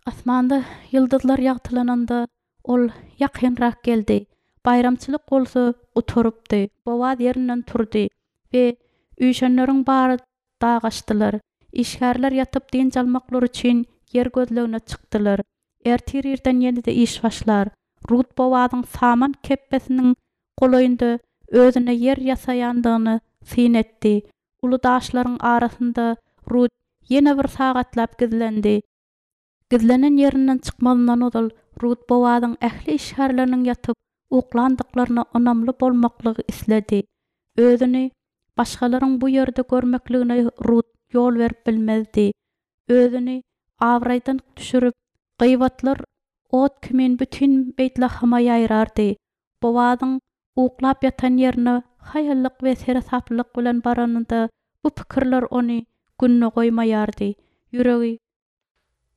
Asmanda ýyldyzlar ýagtylananda, ol ýakynrak geldi. Baýramçylyk bolsa gutarypdy. Bowaz ýerinden turdy we üýşenleriň bary dagaşdylar. Işgärler ýatyp dynç almaklary üçin ýer gözlegine çykdylar. Ertir irden ýene-de iş başlar. Rut Bowazyň saman kepbesiniň golaýynda özüne ýer ýasaýandygyny syn etdi. Uly daşlaryň arasynda Rut ýene bir sagatlap gizlendi. Gizlenen ýerinden çykmazyndan ozal Rut Bowazyň ähli işgärleriniň ýatyp uklandyklaryna ynamly bolmaklygy isledi. Özüni başgalaryň bu ýerde görmekligine Rut ýol berip bilmezdi. Özüni abraýdan düşürip, gyýbatlar ot kimin bütin Beýtlahama ýaýrardy. Bowazyň uklap ýatan ýerine haýallyk we seresaplylyk bilen baranynda bu pikirler ony gününe goýmaýardy. Ýüregi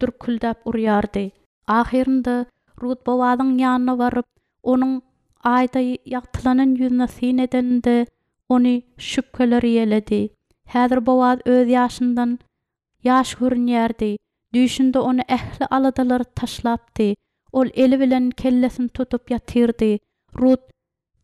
dürküldäp urýardy. Ahyrynda Rut Bowazyň ýanyna baryp, onuň aýda ýagtylanan ýüzüne syn edeninde ony şübheler ýeledi. Häzir Bowaz öz ýaşyndan ýaş görünýärdi. Düýşünde ony ähli aladalar taşlapdy. Ol eli bilen kellesini tutup ýatyrdy. Rut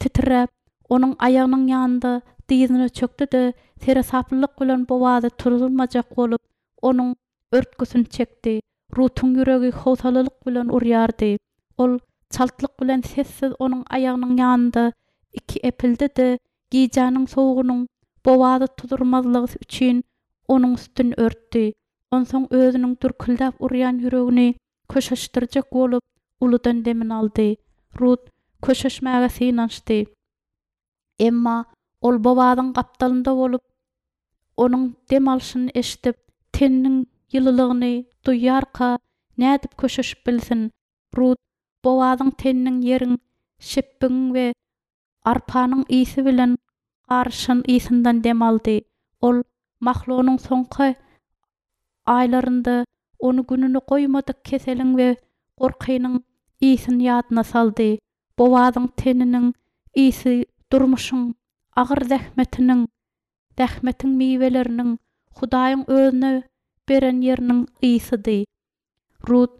titräp, onuň aýagynyň ýanynda dyzyna çökdi-de, seresaplylyk bilen Bowazy turuzmajak bolup, onuň örtgüsini çekdi. Rutuň ýüregi howsalalyk bilen urýardy. Ol çaltlyk bilen sessiz onuň aýagynyň ýanynda iki epildi-de, gijäniň sowugynyň Bowazy tuzurmazlygy üçin onuň üstüni örtdi. Onsoň özüniň dürküldäp urýan ýüregini köşeşdirjek bolup, uludan demini aldy. Rut köşeşmäge synanyşdy. Emma ol Bowazyň gapdalynda bolup, onuň dem alşyny eşidip, teniniň ýylylygyny duýarka nädip köşeşip bilsin? Rut Bowazyň teniniň ýeriň, şepbigiň we arpanyň ysy bilen garyşan ysyndan dem aldy. Ol Mahlonyň soňky aýlarynda ony gününe goýmadyk keseliň we gorkynyň ysyny ýadyna saldy. Bowazyň teniniň ysy durmuşyň agyr zähmetiniň, zähmetiň miweleriniň Hudaýyň özüne beren ýeriniň ysydy. Rut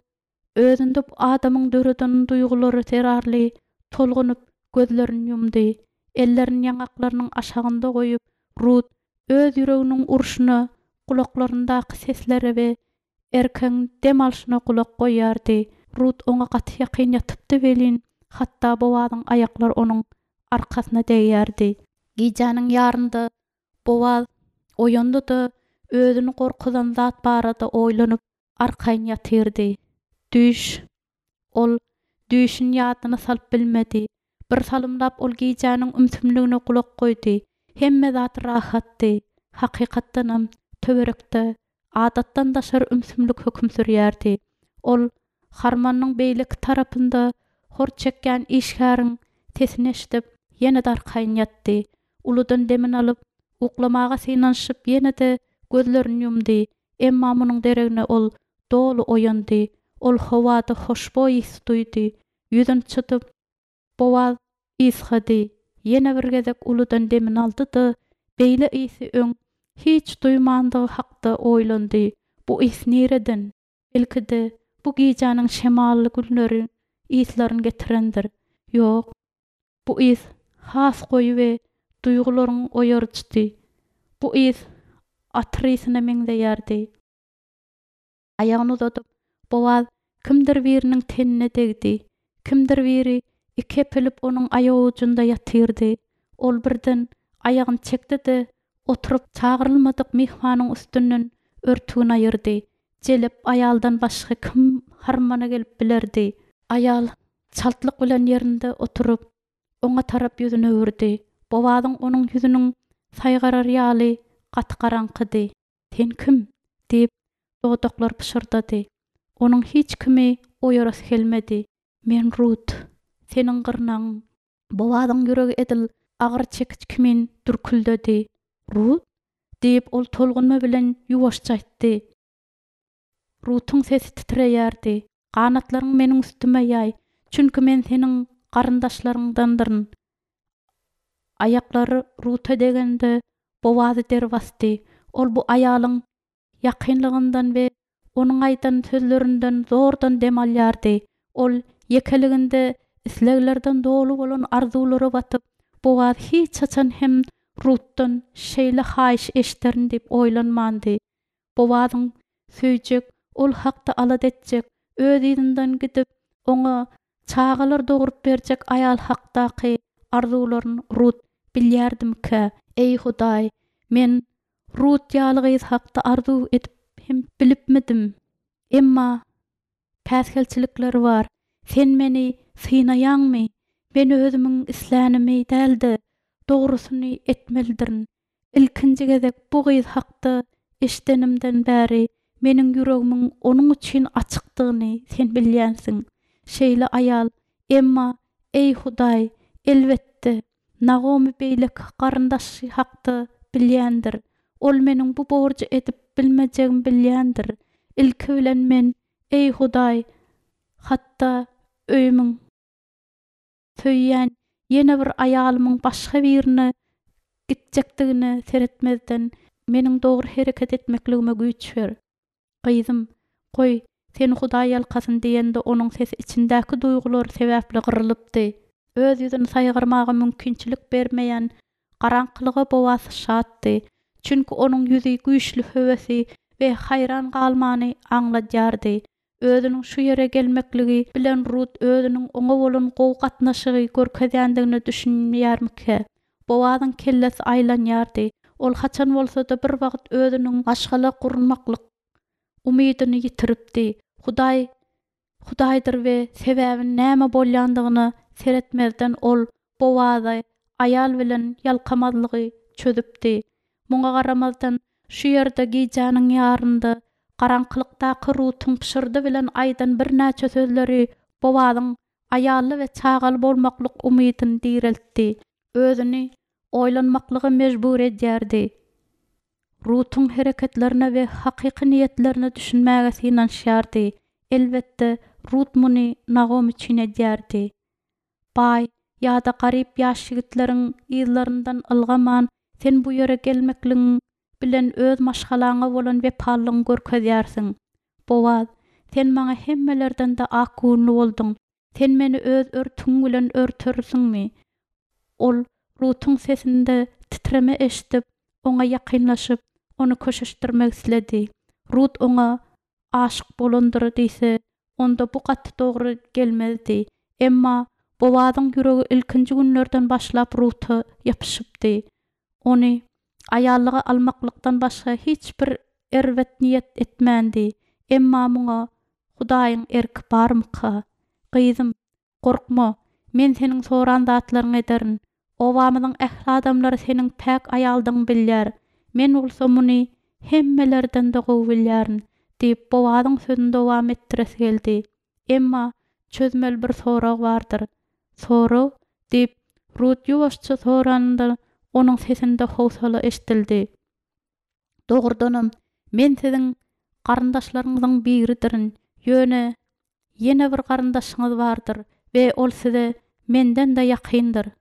özünde bu adamyň döreden duýgulary zerarly tolgunyp gözlerini ýumdy. Ellerini ýaňaklarynyň aşagynda goýup, Rut öz ýüreginiň urşuna, gulaklaryndaky seslere we erkegiň dem alşyna gulak goýýardy. Rut oňa gaty ýakyn ýatypdy welin, hatda Bowazyň aýaklary onuň arkasyna degýärdi. Gijäniň ýarynda Bowaz oýandy-da, özüni gorkuzan zat barada oýlanyp, arkaýyn ýatyrdy. Düýş. Ol düýşüni ýadyna salyp bilmedi. Bir salymlap ol gijäniň ümsümligine gulak goýdy. Hemme zat rahatdy. Hakykatdanam, töwerekde adatdan daşary ümsümlik höküm sürýärdi. Ol harmanyň beýleki tarapynda hor çekýän işgäriň sesini eşidip, ýene-de arkaýyn ýatdy. Uludan demini alyp, uklamaga synanyşyp ýene-de gözlerini ýumdy. Emma munuň deregine ol doly oýandy. Ol howada hoşboý ys duýdy. Ýüzüni çytyp, Bowaz ysgady. Ýene bir gezek uludan demini aldy-da, beýle ysy öň hiç duýmandygy hakda oýlandy. Bu ys nireden? Belki-de, bu gijäniň şemally günleri yslaryny getirendir. Ýok, bu ys has goýy we duýgularyňy oýaryjydy. Bu ys atyr ysyna meňzeýärdi. Aýagyny uzadyp, Bowaz kimdir biriniň tenine degdi. Kimdir biri iki epilip onuň aýagujunda ýatyrdy. Ol birden aýagyny çekdi-de, oturyp çagyrylmadyk myhmanyň üstünden örtügini aýyrdy. Jelep aýaldan başga kim harmana gelip bilerdi? Aýal çaltlyk bilen ýerinde oturyp, oňa tarap ýüzüni öwürdi. Bowazyň onuň ýüzüniň saýgarar ýaly gaty garaňkydy. Sen kim? diýip, dodaklary pyşyrdady. Onuň hiç kimi oýarasy gelmedi. Men Rut, seniň gyrnagyň. Bowazyň ýüregi edil agyr çekiç kimin dürküldedi. Rut? diýip, ol tolgunma bilen ýuwaşja aýtdy. Rutuň sesi titreýärdi. Ganatlaryňy meniň üstüme ýaý, çünki men seniň garyndaşlaryňdandyryn. Aýaklary Ruta degende, Bowazy der basdy. Ol bu aýalyň ýakynlygyndan we onuň aýdan sözlerinden zordan dem alýardy. Ol ýekeliginde isleglerden doly bolan arzuwlara batyp, Bowaz hiç haçan hem Rutdan şeýle haýyş eşderin diýip oýlanmandy. Bowazyň söýjek, ol hakda alada etjek, öz yzyndan gidip, oňa çagalar dogrup berjek aýal hakdaky arzuwlaryny Rut bilýärdimikä? Eý, Hudaý, men Rut ýaly gyz hakda arzuw edip hem bilipmidim? Emma päsgelçilikler bar. Sen meni synaýaňmy? Men özümiň islänimi däl-de, dogrusyny etmelidirin. Ilkinji gezek bu gyz hakda eşidenimden bäri meniň ýüregimiň onuň üçin açykdygyny sen bilýänsiň. Şeýle aýal, emma, eý, Hudaý, elbetde, Nagomy beýleki garyndaşy hakda bilýändir. Ol meniň bu borjy edip bilmejegimi bilýändir. Ilki bilen men, eý, Hudaý, hatda öýümiň, söýýän ýene bir aýalymyň başga birine gitjekdigine seretmezden, meniň dogry hereket etmekligime güýç ber. Gyzym, goý, seni Hudaý ýalkasyn diýende onuň sesi içindäki duýgular sebäpli gyrylypdy. Öz ýüzüni saýgarmaga mümkinçilik bermeýän garaňkylyga Bowaz şatdy. Çünki onuň ýüzi güýçli höwesi we haýran galmany aňladýardy. Özüniň şu ýere gelmekligi bilen Rut özüniň oňa bolan gowy gatnaşygy görkezýändigine düşünýärmikä? Bowazyň kellesi aýlanýardy. Ol haçan bolsa-da bir wagt özüniň maşgala gurmaklyk umydyny ýitiripdi. Hudaý Hudaýdyr we sebäbi näme bolýandygyna seretmezden ol Bowazy aýal bilen ýalkamazlygy çözüpdi. Muňa garamazdan, şu ýerde gijäniň ýarynda garaňkylykdaky Rutuň pyşyrdy bilen aýdan birnäçe sözleri Bowazyň aýally we çagaly bolmaklyk umydyny direltdi. Özüni oýlanmaklyga mejbur edýärdi. Rutuň hereketlerine we hakyky niýetlerine düşünmäge synanyşýardy. Elbetde, Rut muny Nagomy üçin edýärdi. Baý ýa-da garyp ýaş ýigitleriň yzlaryndan ylgaman, sen bu ýere gelmekligiň bilen öz maşgalaňa bolan wepalylygyňy görkezýärsiň. Bowaz, sen maňa hemmelerden-de akgöwünli bolduň. Sen meni öz örtügiň bilen örtersiňmi? Ol Rutuň sesinde titreme eşidip, oňa ýakynlaşyp, ony köşeşdirmek isledi. Rut oňa aşyk bolandyr diýse, onda bu gaty dogry gelmezdi. Emma Bowazyň ýüregi ilkinji günlerden başlap Ruta ýapyşypdy. Ony aýallyga almaklykdan başga hiç bir erbet niýet etmändi. Emma muňa Hudaýyň erki barmyka? Gyzym, gorkma, men seniň soran zatlaryňy ederin. Obamyzyň ähli adamlary seniň päk aýaldygyňy bilýär. Men bolsa muny hemmelerden-de gowy bilýärin, diýip, Bowazyň sözüni dowam etdiresi geldi. Emma çözmeli bir sorag bardyr. Sorag? diýip, Rut ýuwaşja soranynda, onuň sesinde howsala eşidildi. Dogrudanam, men siziň garyndaşlaryňyzyň biridirin, ýöne ýene bir garyndaşyňyz bardyr we ol size menden-de ýakyndyr.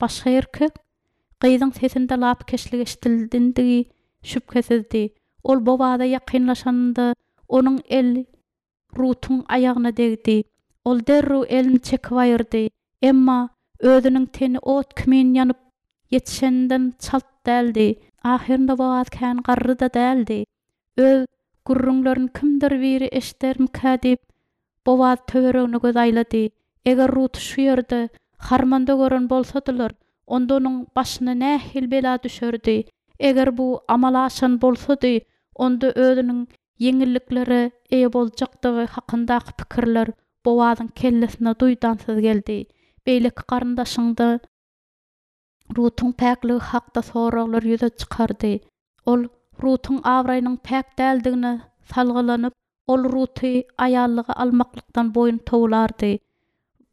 Başga erkek? Gyzyň sesinde lapykeçlik eşidildindigi şübhesizdi. Ol Bowaza ýakynlaşanynda, onuň eli Rutuň aýagyna degdi. Ol derrew elini çekip aýyrdy. Emma özüniň teni ot kimin ýanyp ýetişeninden çalt däldi. Ahyrynda Boaz kän garry-da däldi. Öz gürrüňlerini kimdir biri eşidermikä diýip, Boaz töweregine göz aýlady. Eger Ruty şu ýerde, harmanda gören bolsadylar, onda onuň başyna nähili bela düşerdi? Eger bu amala aşan bolsady, onda özüniň ýeňilliklere eýe boljakdygy hakyndaky pikirler Bowazyň kellesine duýdansyz geldi. Beýleki garyndaşyňda Rutuň päkligi hakda soraglar ýüze çykardy. Ol Rutuň abraýynyň päk däldigine salgylanyp, ol Ruty aýallyga almaklykdan boýun towlardy.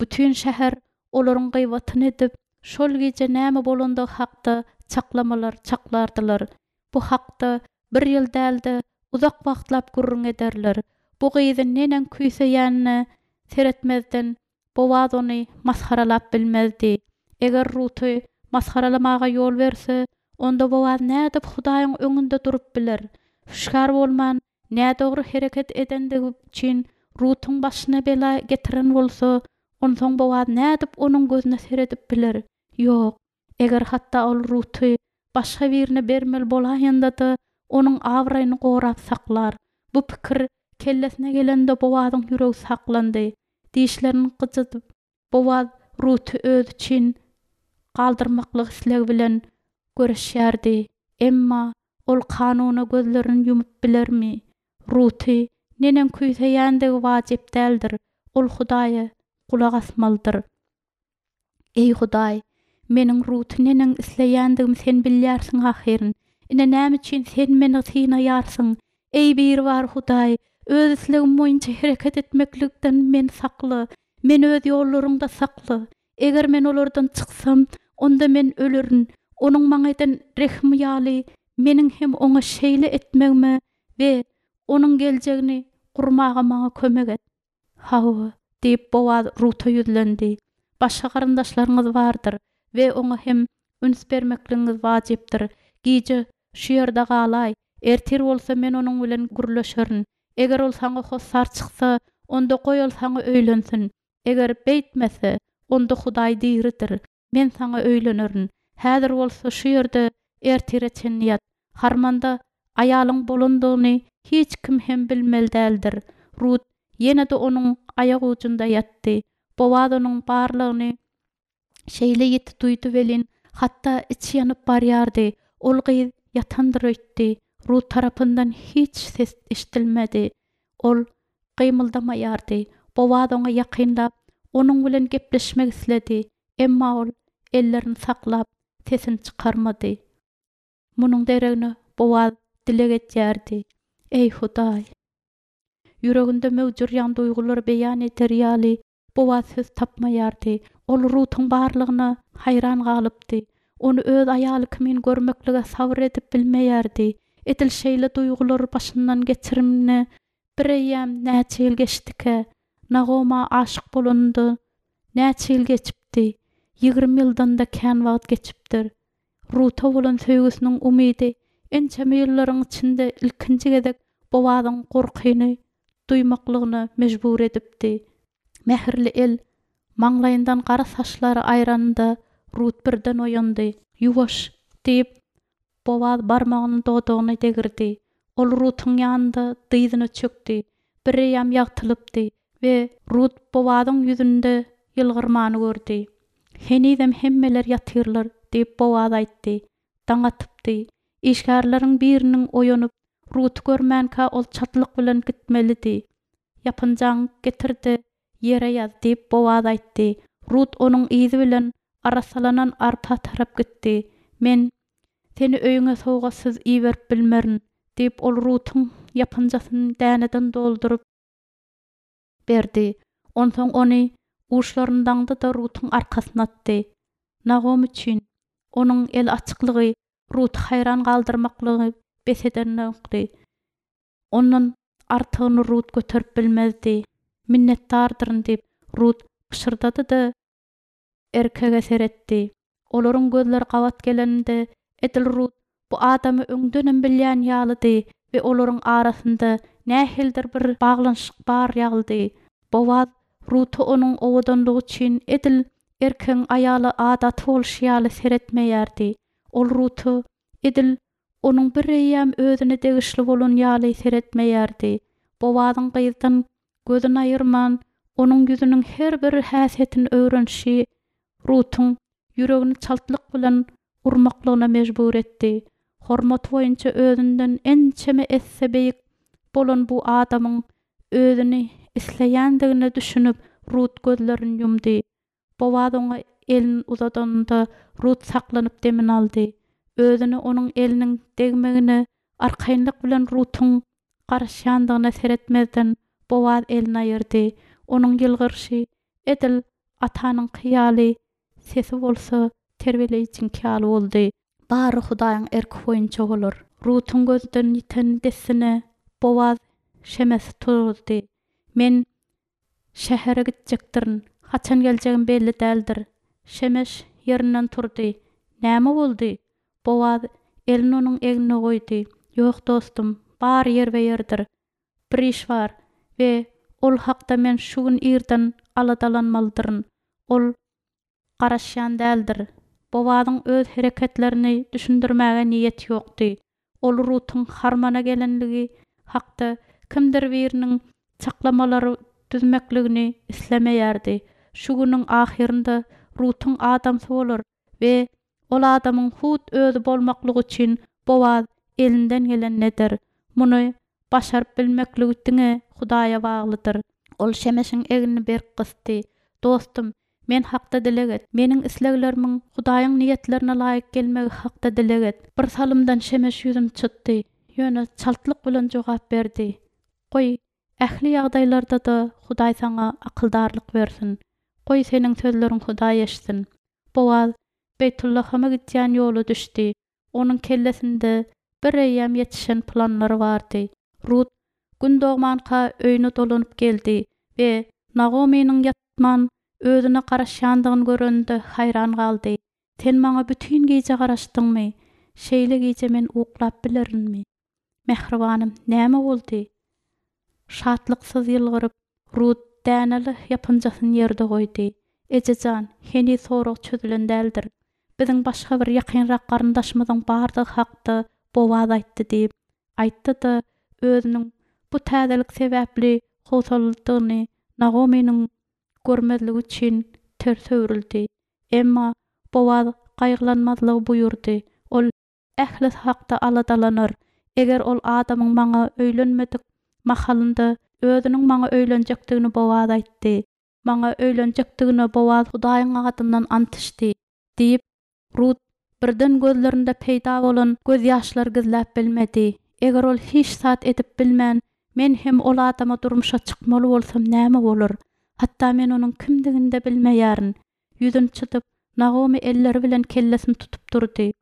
Bütin şäher olaryň gyýbatyny edip, şol gije näme bolandygy hakda çaklamalar çaklardylar. Bu hakda bir ýyl däl-de, uzak wagtlap gürrüň ederler. Bu gyzy neneň küýseýänine seretmezden, Bowaz ony masgaralap bilmezdi. Eger Ruty masgaralamaga ýol berse, onda Bowaz nädip Hudaýyň öňünde durup biler? Hüşgär bolman, nädogry hereket edendigi üçin Rutuň başyna bela getiren bolsa, onsoň Bowaz nädip onuň gözüne seredip biler? Ýok, eger hatda ol Ruty başga birine bermeli bolaýanda-da, onuň abraýyny gorap saklar. Bu pikir kellesine gelende Bowazyň ýüregi saklandy. Dişlerini gyjydyp, Bowaz Ruty özi üçin galdyrmaklyk islegi bilen göreşýärdi. Emma ol kanuna gözlerini ýumup bilermi? Ruty neneň küýseýändigi wajyp däldir, ol Hudaýa gulak asmalydyr. Eý, Hudaý, meniň Ruty neneň isleýändigimi Sen bilýärsiň ahyryn. Ine, näme üçin Sen meni synaýarsyň? Eý, Biribar Hudaý, öz islegim boýunça hereket etmeklikden meni sakla, meni öz ýollaryňda sakla. Eger men olardan çyksam, onda men ölerin. Onuň maňa eden rehimi ýaly, meniň hem oňa şeýle etmegime we onuň geljegini gurmaga maňa kömek et. Hawa, diýip, Bowaz Ruta ýüzlendi. Başga garyndaşlaryňyz bardyr we oňa hem üns bermekligiňiz wajypdyr. Gije şu ýerde galaý, ertir bolsa men onuň bilen gürleşerin. Eger ol saňa hossar çyksa, onda goý ol saňa öýlensin. Eger beýtmese, onda Hudaý diridir. Men saňa öýlenerin. Häzir bolsa şu ýerde ertire çenli ýat. Harmanda aýalyň bolandygyny hiç kim hem bilmeli däldir. Rut ýene-de onuň aýak ujunda ýatdy. Bowaz onuň barlygyny şeýle ýiti duýdy welin, hatda içi ýanyp barýardy. Ol gyz ýatandyr öýtdi. Rut tarapyndan hiç ses eşidilmedi. Ol gymyldamaýardy. Bowaz oňa ýakynlap, onuň bilen gepleşmek isledi. Emma ol ellerini saklap, sesini çykarmady. Munuň deregine Bowaz dileg edýärdi, Eý, Hudaý! Ýüreginde möwjürýän duýgulary beýan eder ýaly, Bowaz söz tapmaýardy. Ol Rutuň barlygyna haýran galypdy. Ony öz aýaly kimin görmeklige sabyr edip bilmeýärdi. Edil şeýle duýgulary başyndan geçirimine bireýýäm näçe ýyl geçdikä? Nagoma aşyk bolanynda näçe ýyl geçipdi? Ýigrimi ýyldan-da kän wagt geçipdir. Ruta bolan söýgüsiniň umydy ençeme ýyllaryň içinde ilkinji gezek Bowazyň gorkyny duýmaklygyna mejbur edipdi. Mähirli el maňlaýyndan gara saçlary aýranynda Rut birden oýandy. Ýuwaş! diýip, Bowaz barmagyny dodagyna degirdi. Ol Rutuň ýanynda dyzyna çökdi. Bireýýäm ýagtylypdy we Rut Bowazyň ýüzünde ýylgyrmany gördi. Henizem hemmeler ýatyrlar, diýip, Bowaz aýtdy. Daň atypdy. Işgärleriň biriniň oýanyp, Ruty görmänkä ol çaltlyk bilen gitmelidi. Ýapynjaňy getir-de, ýere ýaz, diýip, Bowaz aýtdy. Rut onuň yzy bilen arassalanan arpa tarap gitdi. Men seni öýüňe sowgatsyz iberip bilmerin, diýip, ol Rutuň ýapynjasyny däneden dolduryp berdi. Onsoň ony uçlaryny daňdy-da Rutuň arkasyna atdy. Nagomy üçin onuň el açyklygy Ruty haýran galdyrmaklygy bes edenokdy. Ondan artygyny Rut göterip bilmezdi. Minnetdardyryn diýip, Rut pyşyrdady-da, erkege seretdi. Olaryň gözleri gabat geleninde edil Rut bu adamy öňdenem bilýän ýalydy we olaryň arasynda nähilidir bir baglanyşyk bar ýalydy. Bowaz Ruta onuň owadanlygy üçin edil erkegiň aýala adaty bolşy ýaly seretmeýärdi. Ol Ruta edil onuň bireýýäm özüne degişli bolan ýaly seretmeýärdi. Bowazyň gyzdan gözüni aýyrman, onuň ýüzüniň her bir häsiýetini öwrenişi Rutuň ýüregini çaltlyk bilen urmaklygyna mejbur etdi. Hormaty boýunça özünden ençeme esse beýik bolan bu adamyň özüni isleýändigine düşünip, Rut gözlerini ýumdy. Bowaz oňa elini uzadanynda Rut saklanyp demini aldy. Özüne onuň eliniň degmegine arkaýynlyk bilen Rutuň garaşýandygyna seretmezden Bowaz elini aýyrdy. Onuň ýylgyryşy edil atanyňky ýaly, sesi bolsa terbiýeleýjiňki ýaly boldy. Bary Hudaýyň erki boýunça bolar. Rutuň gözden ýiten dessine Bowaz Şemesi turuzdy. Men şähere gitjekdirin. Haçan geljegim belli däldir. Şemeş ýerinden turdy. Näme boldy? Bowaz elini onuň egnine goýdy. Ýok dostum, bary ýerbe-ýerdir. Bir iş bar we ol hakda men şu gün irden aladalanmalydyryn. Ol garaşýan däldir. Bowazyň öz hereketlerini düşündirmäge niýeti ýokdy. Ol Rutuň harmana gelenligi hakda kimdir biriniň çaklamalary düzmekligini islemeýärdi. Şu günüň ahyrynda Rutuň adamsy bolar we ol adamyň hut özi bolmaklygy üçin Bowaz elinden gelenini eder. Muny başaryp bilmekligi diňe Hudaýa baglydyr. Ol Şemeşiň egnini berk gysdy. Dostum, men hakda dileg et. Meniň isleglerimiň Hudaýyň niýetlerine laýyk gelmegi hakda dileg et. Bir salymdan Şemeş ýüzüni çytdy, ýöne çaltlyk bilen jogap berdi. Goý, ähli ýagdaýlarda-da Hudaý saňa akyldarlyk bersin. Goý, seniň sözleriň Hudaý eşitsin. Bowaz Beýtullahama gidýän ýola düşdi. Onuň kellesinde bireýýäm ýetişen planlary bardy. Rut gün dogmanka öýüne dolanyp geldi we Nagomynyň ýatman özüne garaşýandygyny görende haýran galdy. Sen maňa bütin gije garaşdyňmy? Şeýle gije men uklap bilerinmi? Mähribanym, näme boldy? Şatlyksyz ýylgyryp, Rut däneli ýapynjasyny ýerde goýdy. Ejejan, heniz sorag çözülen däldir. Biziň başga bir ýakynrak garyndaşymyzyň bardygy hakda Bowaz aýtdy diýip, aýtdy-da, özüniň bu täzelik sebäpli howsalalydygyny Nagomynyň görmezligi üçin ters öwrüldi. Emma Bowaz gaýgylanmazlygy buýurdy. Ol ählisi hakda aladalanar. Eger ol adamyň maňa öýlenmedik mahalynda özüniň maňa öýlenjekdigini Bowaz aýtdy. Maňa öýlenjekdigine Bowaz Hudaýyň adyndan ant içdi, diýip, Rut birden gözlerinde peýda bolan gözýaşlary gizläp bilmedi. Eger ol hiç zat edip bilmän, men hem ol adama durmuşa çykmaly bolsam näme bolar? Hatda men onuň kimdigini-de bilmeýärin. Ýüzüni çytyp, Nagomy elleri bilen kellesini tutup durdy.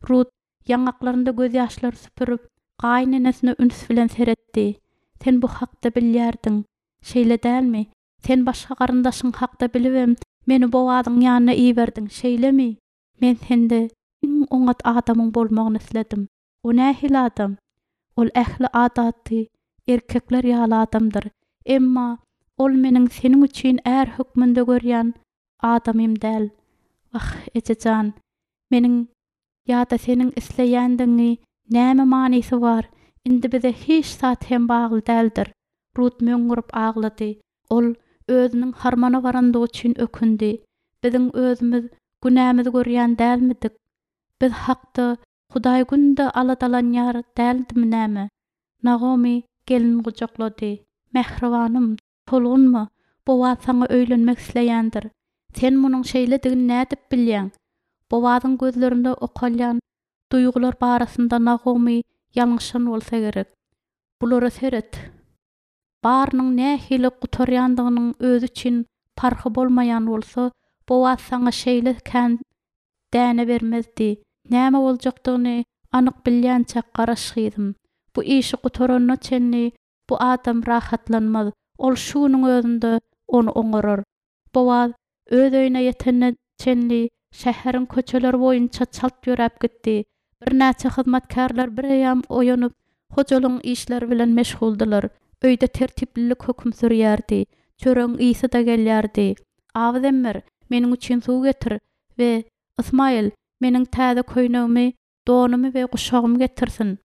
Rut ýaňaklarynda gözýaşlary süpürip, gaýynenesine üns bilen seretdi. Sen bu hakda bilýärdiň, şeýle dälmi? Sen başga garyndaşyň hakda bilibem, meni Bowazyň ýanyna iberdiň, şeýlemi? Men sende iň oňat adamyň bolmagyny isledim. O nähili adam? Ol ähli adaty erkekler ýaly adamdyr. Emma ol meniň seniň üçin är hökmünde görýän adamym däl. Wah, ejejan, meniň ýa-da seniň isleýändigiňi näme manysy bar? Indi bize hiç zat hem bagly däldir. Rut möňňürip aglady. Ol özüniň harmana barandygy üçin ökündi. Biziň özümiz günämizi görýän dälmidik? Biz hakda Hudaý günde aladalanýar däldimi näme? Nagomy gelin gujaklady. Mähribanym, tolgunma, Bowaz saňa öýlenmek isleýändir. Sen munuň şeýledigini nädip bilýäň? Bowazyň gözlerinde okalýan duýgular barasynda Nagomy ýalňyşan bolsa gerek. Bulara seret. Barynyň nähili gutarýandygynyň özi üçin parhy bolmaýan bolsa, Bowaz saňa şeýle kän däne bermezdi. Näme boljakdygyny anyk bilýänçäk garaş gyzym. Bu işi gutaranyna çenli bu adam rahatlanmaz. Ol şu günüň özünde ony oňarar. Bowaz öz öýüne ýetenine çenli şäheriň köçeleri boýunça çalt ýöräp gitdi. Birnäçe hyzmatkärler bireýýäm oýanyp, hojalygyň işleri bilen meşguldylar. Öýde tertiplilik höküm sürýärdi. Çöregiň ysy-da gelýärdi. Abyzemmer, meniň üçin suw getir we Ysmaýyl, meniň täze köýnegimi, donumy we guşagymy getirsin.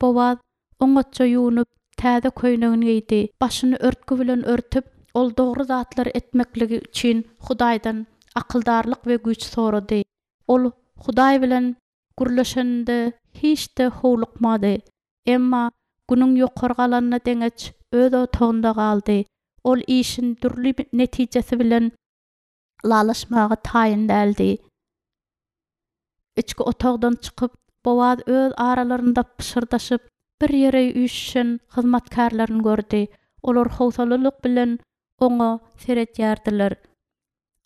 Bowaz oňatja ýuwnup, täze köýnegini geýdi. Başyny örtgi bilen örtüp, ol dogry zatlary etmekligi üçin Hudaýdan akyldarlyk we güýç sorady. Ol Hudaý bilen gürleşeninde hiç-de howlukmady. Emma günüň ýokary galanyna deňeç öz otagynda galdy. Ol işiň dürli netijesi bilen ylalaşmaga taýyn däldi. Içki otagdan çykyp, Bowaz öz aralarynda pyşyrdaşyp, bir ýere üýşüşen hyzmatkärlerini gördi. Olar howsalalyk bilen oňa seredýärdiler.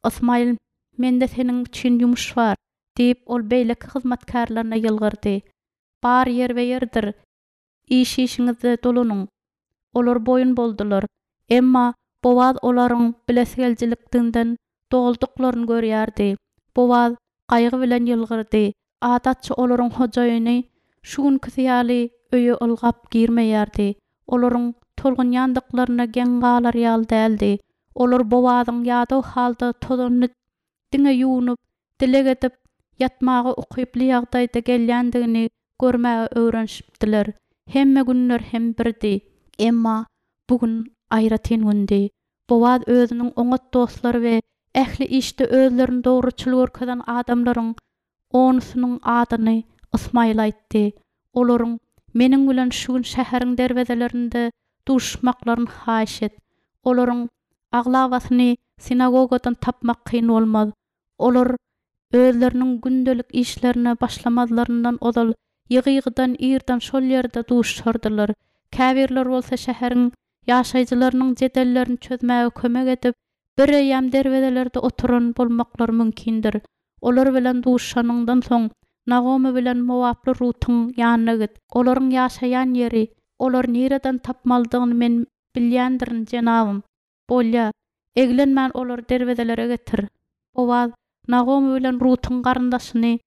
Ysmaýyl, mende seniň üçin ýumuş bar, diýip, ol beýleki hyzmatkärlerine ýylgyrdy. Bar ýerbe-ýerdir, iş-işiňize dolanyň. Olar boýun boldular. Emma Bowaz olaryň bilesigelijilikden dolduklaryny görýärdi. Bowaz gaýgy bilen ýylgyrdy. Adatça olaryň hojaýyny şu günküsi ýaly öýe ylgap girmeýärdi. Olaryň tolgunýandyklaryna geň galar ýaly däldi. Olar Bowazyň ýadaw halda tozanyny diňe ýuwnup, dileg edip, ýatmaga ukyply ýagdaýda gelýändigini görmäge öwrenişipdiler. Hemme günler hem birdi. Emma bu gün aýratyn gündi. Bowaz özüniň oňat dostlary we ähli işde özlerini dogruçyl görkezen adamlaryň onusynyň adyny Ysmaýyl aýtdy. Olaryň meniň bilen şu gün şäheriň derwezelerinde duşmaklaryny haýyş et. Olaryň aglabasyny sinagogadan tapmak kyn bolmaz. Olar özleriniň gündelik işlerine başlamazlaryndan ozal ýygy-ýygydan irden şol ýerde duşardylar. Käbirler bolsa şäheriň ýaşaýjylarynyň jedellerini çözmäge kömek edip, bireýýäm derwezelerde oturan bolmaklary mümkindir. Olar bilen duşanyňdan soň Nagomy bilen Mowaply Rutuň ýanyna git. Olaryň ýaşaýan ýeri, olar nireden tapmalydygyny men bilýändirin, jenabym. Bolýa, eglenmän olary derwezelere getir. Bowaz Nagomy bilen Rutuň garyndaşyny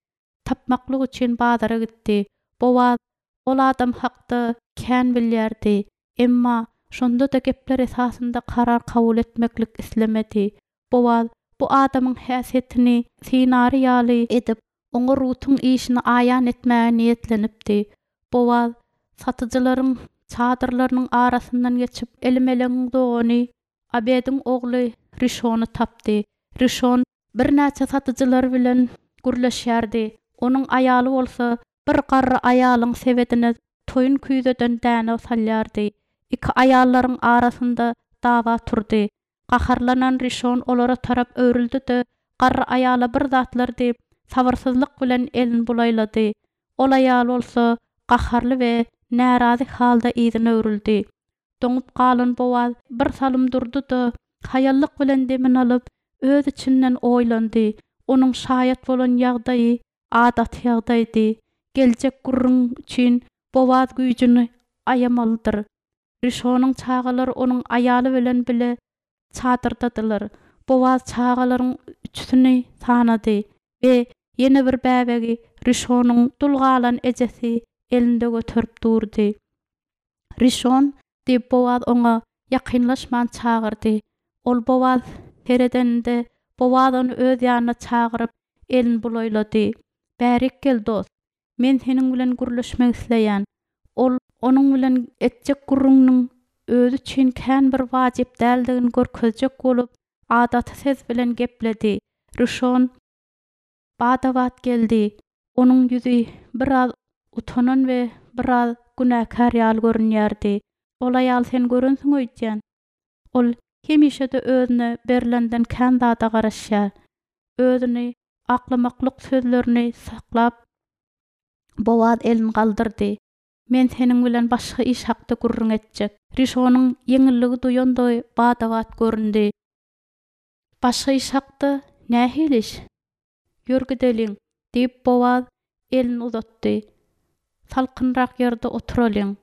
tapmaklyk üçin bazara gitdi. Bowaz ol adam hakda kän bilýärdi. Emma şonda-da gepler esasynda karar kabul etmeklik islemedi. Bowaz bu adamyň häsiýetini synary ýaly edip, oňa Rutuň işini aýan etmäge niýetlenipdi. Bowaz satyjylaryň çadyrlarynyň arasyndan geçip, Elimelegiň dogany Abediň ogly Rişony tapdy. Rişon birnäçe satyjylar bilen gürleşýärdi. Onuň aýaly bolsa bir garry aýalyň sebedine toýun küýzeden däne salýardy. Iki aýallaryň arasynda dawa turdy. Gaharlanan Rişon olara tarap öwrüldi-de, garry aýala bir zatlar diýip, sabyrsyzlyk bilen elini bulaýlady. Ol aýal bolsa gaharly we närazy halda yzyna öwrüldi. Doňup galan Bowaz bir salym durdy-da, haýallyk bilen demini alyp, öz içinden oýlandy. Onuň şaýat bolan ýagdaýy adaty ýagdaýdy. Geljek gürrüň üçin Bowaz güýjüni aýamalydyr. Rişonyň çagalary onuň aýaly bilen bile çadyrdadylar. Bowaz çagalaryň üçüsini sanady we ýene bir bäbegi Rişonyň dul galan ejesi elinde göterip durdy. Rişon diýip Bowaz oňa ýakynlaşman çagyrdy. Ol Bowaz seredeninde Bowaz ony öz ýanyna çagyryp, elini bulaýlady. Bärik gel dost, men seniň bilen gürleşmek isleýän. Ol onuň bilen etjek gürrüňiniň özi üçin kän bir wajyp däldigini görkezjek bolup, adaty ses bilen gepledi. Rişon bada-bat geldi. Onuň ýüzi biraz utanan we biraz günäkär ýaly görünýärdi. Ol aýal sen görensiň öýdýän. Ol hemişe-de özüne berlenden kän zada garaşýar. Özüni aklamaklyk sözlerini saklap, Bowaz elini galdyrdy. Men seniň bilen başga iş hakda gürrüň etjek. Rişonyň ýeňilligi duýandygy bada-bat göründi. Başga iş hakda nähili iş? Ýör gideliň, diýip, Bowaz elini uzatdy. Salkynrak ýerde oturalyň.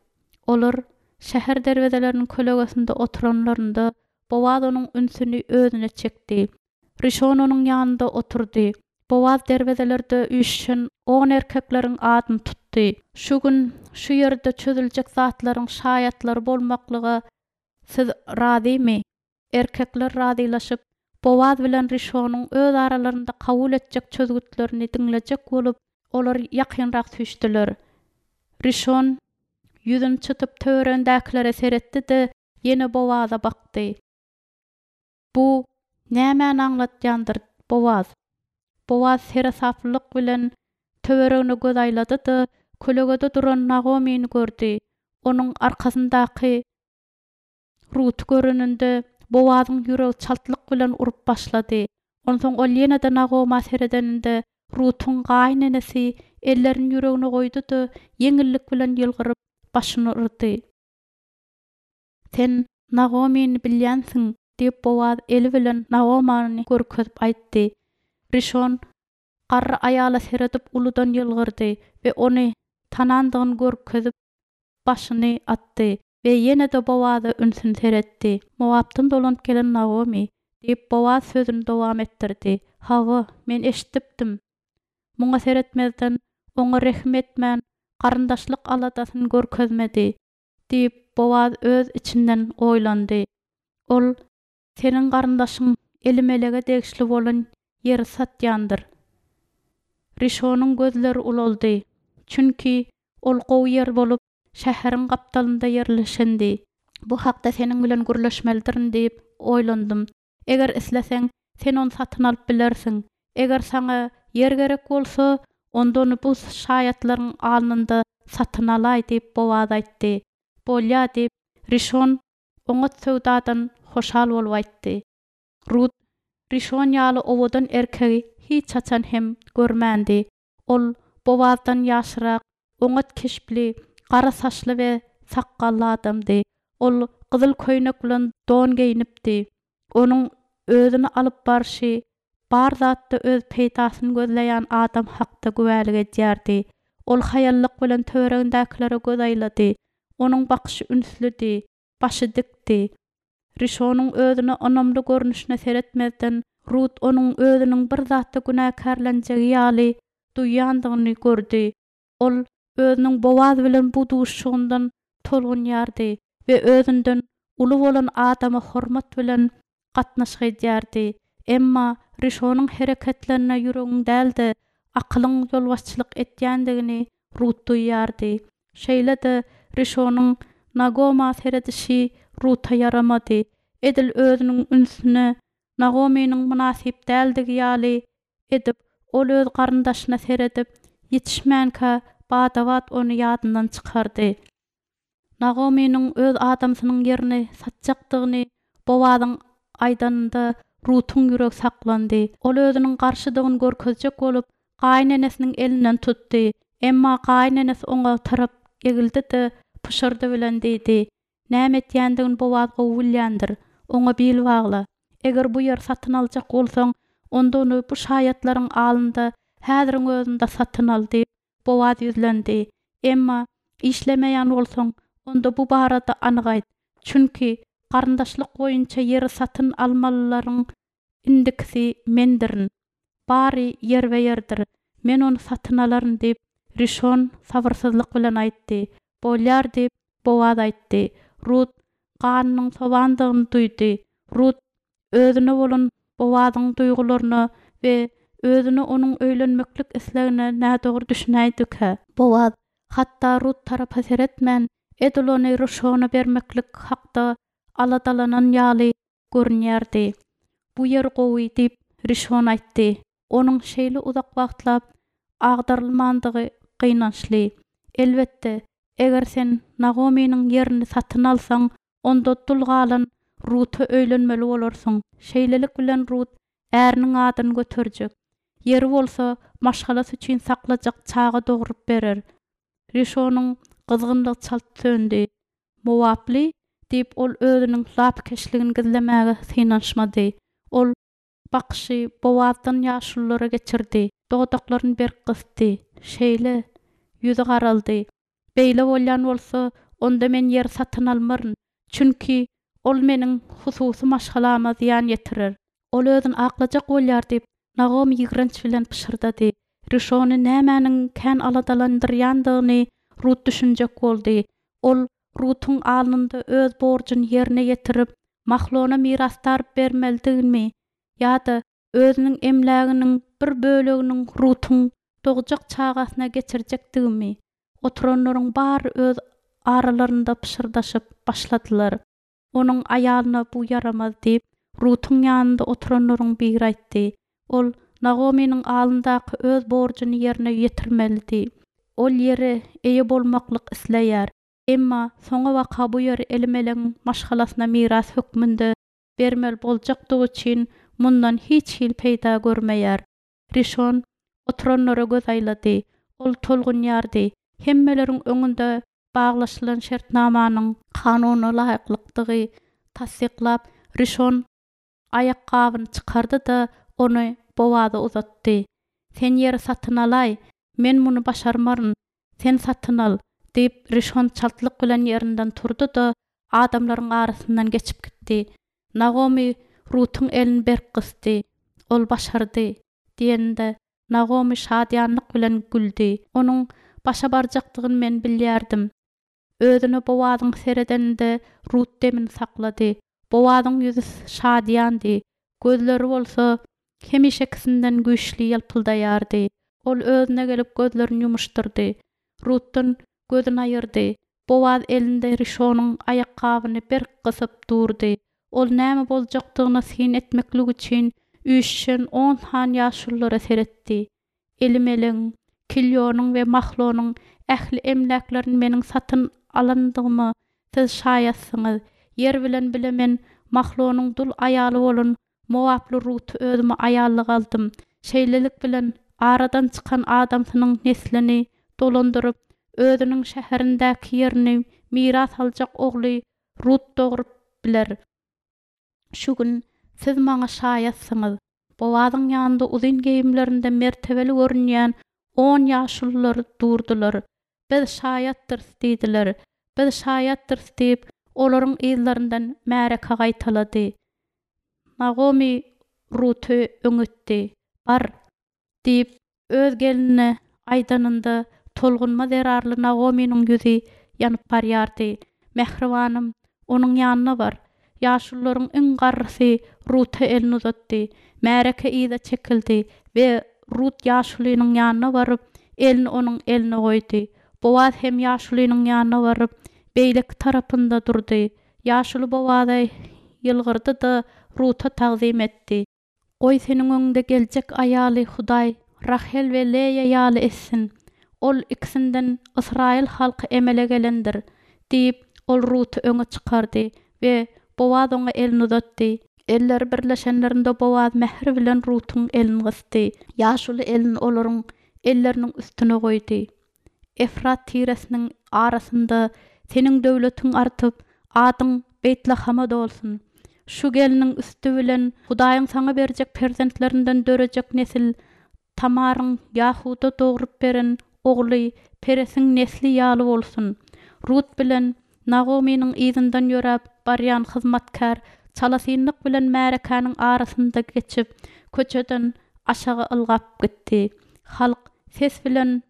Olar şäher derwezeleriniň kölegesinde oturanlarynda, Bowaz onuň ünsüni özüne çekdi. Rişon onuň ýanynda oturdy. Bowaz derwezelerde üýşen on erkekleriň adyny tutdy. Şu gün şu ýerde çözüljek zatlaryň şaýatlary bolmaklyga siz razymy? Erkekler razylaşyp, Bowaz bilen Rişonyň öz aralarynda kabul etjek çözgütlerini diňlejek bolup, olar ýakynrak süýşdüler. Rişon ýüzüni çytyp töweregindäkilere seretdi-de, ýene Bowaza bakdy. Bu nämäni aňlatýandyr, Bowaz? Bowaz seresaplylyk bilen töweregine göz aýlady-da, kölegede duran Nagomyny gördi. Onuň arkasyndaky Ruty göreninde, Bowazyň ýüregi çaltlyk bilen urup başlady. Onsoň ol ýene-de Nagoma seredeninde, Rutuň gaýynenesi ellerini ýüregine goýdy-da, ýeňillik bilen ýylgyryp, başyny yrdy. Sen Nagomyny bilýänsiň, diýip, Bowaz eli bilen Nagomany görkezip aýtdy. Rişon garry aýala seredip uludan ýylgyrdy we ony tanandygyny görkezip, başyny atdy we ýene-de Bowaza ünsüni seretdi. Mowapdan dolanyp gelen Nagomy, diýip, Bowaz sözüni dowam etdirdi. Hawa, men eşidipdim. Muňa seretmezden, oňa rehim etmän, garyndaşlyk aladasyny görkezmedi, diýip, Bowaz öz içinden oýlandy. Ol seniň garyndaşyň Elimelege degişli bolan ýeri satýandyr. Rişonyň gözleri ulaldy. Çünki ol gowy ýer bolup, şäheriň gapdalynda ýerleşendi. Bu hakda seniň bilen gürleşmelidirin diýip oýlandym. Eger isleseň, sen ony satyn alyp bilersiň. Eger saňa ýer gerek bolsa, onda ony bu şaýatlaryň alnynda satyn alaý diýip Bowaz aýtdy. Bolýa diýip, Rişon oňat söwdadan hoşal bolup aýtdy. Rut Rişon ýaly owadan erkegi hiç haçan hem görmändi. Ol Bowazdan ýaşrak, oňat keşpli, gara saçly we sakgally adamdy. Ol gyzyl köýnek bilen don geýnipdi. Onuň özüni alyp barşy bar zatda öz peýdasyny gözleýän adam hakda güwälik edýärdi. Ol haýallyk bilen töweregindäkilere göz aýlady. Onuň bakyşy ünslüdi, başy dikdi. Rişonyň özüne ynamly görnüşine seretmezden, Rut onuň özüniň bir zatda günäkärlenjegi ýaly duýýandygyny gördi. Ol özüniň Bowaz bilen bu duşuşygyndan tolgunýardy we özünden uly bolan adama hormat bilen gatnaşyk edýärdi. Emma Rişonyň hereketlerine ýüregiň däl-de, akylyň ýolbaşçylyk etýändigini Rut duýýardy. Şeýle-de Rişonyň Nagoma seredişi Ruta ýaramady. Edil özüniň ünsüne Nagomynyň mynasyp däldigi ýaly edip, ol öz garyndaşyna seredip, ýetişmänkä bada-bat ony ýadyndan çykardy. Nagomynyň öz adamsynyň ýerini satjakdygyny Bowazyň aýdanynda Rutuň ýüregi saklandy. Ol özüniň garşydygyny görkezjek bolup, gaýynenesiniň elinden tutdy. Emma gaýynenesi oňa tarap egildi-de, pyşyrdy bilen diýdi: Näme etýändigini Bowaz gowy bilýändir. Oňa bil bagla. Eger bu ýeri satyn aljak bolsaň, onda ony bu şaýatlaryň alnynda häziriň özünde satyn al diýip, Bowaz ýüzlendi. Emma işlemeýän bolsaň, onda bu barada anyk aýt. Çünki garyndaşlyk boýunça ýeri satyn almalylaryň indikisi mendirin. Bary ýerbe-ýerdir. Men ony satyn alaryn diýip, Rişon sabyrsyzlyk bilen aýtdy. Bolýar diýip, Bowaz aýtdy. Rut ganynyň sowandygyny duýdy. Rut özüne bolan Bowazyň duýgularyna we özüne onuň öýlenmeklik islegine nädogry düşünäýdikä. Bowaz hatda Rut tarapa seretmän, edil ony Rişona bermeklik hakda aladalanan ýaly görünýärdi. Bu ýer gowy diýip, Rişon aýtdy. Onuň şeýle uzak wagtlap agdarylmandygy gynançly. Elbetde, eger sen Nagomynyň ýerini satyn alsaň, onda dul galan Ruta öýlenmeli bolarsyň. Şeýlelik bilen Rut äriniň adyny göterjek, ýeri bolsa maşgalasy üçin saklajak çaga dogrup berer. Rişonyň gyzgynlygy çalt söndi. Mowaply? Diýip, ol özüniň lapykeçligini gizlemäge synanyşmady. Ol bakyşy Bowazdan ýaşululara geçirdi, dodaklaryny berk gysdy. Şeýle, ýüzi garaldy. Beýle bolýan bolsa, onda men ýeri satyn almaryn. Çünki ol meniň hususy maşgalama zyýan ýetirer. Ol özüni aklajak bolýar diýip, Nagomy ýigrenç bilen pyşyrdady. Rişony nämäniň kän aladalandyrýandygyny Rut düşünjek boldy. Ol Rutuň alnynda öz borjuny ýerine ýetirip, Mahlona mirasdar bermelidigimi ýa-da özüniň emläginiň bir böleginiň Rutuň dogjak çagasyna geçirjekdigimi? Oturanlaryň bary öz aralarynda pyşyrdaşyp başladylar. Onuň aýalyna bu ýaramaz diýip, Rutuň ýanynda oturanlaryň biri aýtdy. Ol Nagomynyň alnyndaky öz borjuny ýerine ýetirmelidi. Ol ýere eýe bolmaklyk isleýär. Emma soňabaka bu ýeri Elimelegiň maşgalasyna miras hökmünde bermeli boljakdygy üçin mundan hiç hili peýda görmeýär. Rişon oturanlara göz aýlady. Ol tolgunýardy. Hemmeleriň öňünde baglaşylan şertnamanyň kanuna laýyklykdygy tassyklap, Rişon aýakgabyny çykardy-da, ony Bowaza uzatdy. Sen ýeri satyn alaý, men muny başarmaryn, sen satyn al, diýip, Rişon çaltlyk bilen ýerinden turdy-da, adamlaryň arasyndan geçip gitdi. Nagomy Rutuň elini berk gysdy. Ol başardy, diýende, Nagomy şadyýanlyk bilen güldi. Onuň başa barjakdygyny men bilýärdim. Özüne Bowazyň seredeninde Rut demini saklady. Bowazyň ýüzi şadyýandy, gözleri bolsa hemişekisinden güýçli ýalpyldaýardy. Ol özüne gelip gözlerini ýumuşdyrdy. Rutdan gözüni aýyrdy. Bowaz elinde Rişonyň aýakgabyny berk gysyp durdy. Ol näme boljakdygyna syn etmeklik üçin üýşüşen on sany ýaşululara seretdi. Elimelegiň, Kilýonyň we Mahlonyň ähli emläklerini meniň satyn alandygyma siz şaýatsyňyz. Ýer bilen bile men Mahlonyň dul aýaly bolan Mowaply Ruty özüme aýallyk aldym. Şeýlelik bilen aradan çykan adamsynyň neslini dolandyryp, özüniň şäherindäki ýerini miras aljak ogly Rut dogrup biler. Şu gün siz maňa şaýatsyňyz. Bowazyň ýanynda uzyn geýimlerinde mertebeli görünýän on ýaşulular durdular. Biz şaýatdyrys diýdiler. Biz şaýatdyrys diýip, olaryň yzlaryndan märeke gaýtalady. Nagomy Ruty öňütdi. Bar diýip, öz gelinine aýdanynda tolgunma zerarly Nagomynyň ýüzi ýanyp barýardy. Mähribanym, onuň ýanyna bar. Ýaşulularyň iň garrysy Ruta elini uzatdy. Märeke yza çekildi we Rut ýaşulynyň ýanyna baryp, elini onuň eline goýdy. Bowaz hem ýaşulynyň ýanyna baryp, beýleki tarapynda durdy. Ýaşuly Bowaza ýylgyrdy-da Ruta tagzym etdi. Goý seniň öňüňde geljek aýaly Hudaý Rahel we Leýa ýaly etsin. Ol ikisinden Ysraýyl halky emele gelendir, diýip, ol Ruty öňe çykardy we Bowaz oňa elini uzatdy. Elleri birleşenlerinde Bowaz mähir bilen Rutuň elini gysdy. Ýaşuly elini olaryň elleriniň üstüne goýdy. Efrat tiresiniň arasynda seniň döwletiň artyp, adyň Beýtlahama dolsun. Şu geliniň üsti bilen Hudaýyň saňa berjek perzentlerinden dörejek nesil Tamaryň Ýahuda dogrup beren ogly Peresiň nesli ýaly bolsun. Rut bilen Nagomynyň yzyndan ýöräp barýan hyzmatkär çalasynlyk bilen märekäniň arasynda geçip, köçeden aşagy ylgap gitdi. Halk ses bilen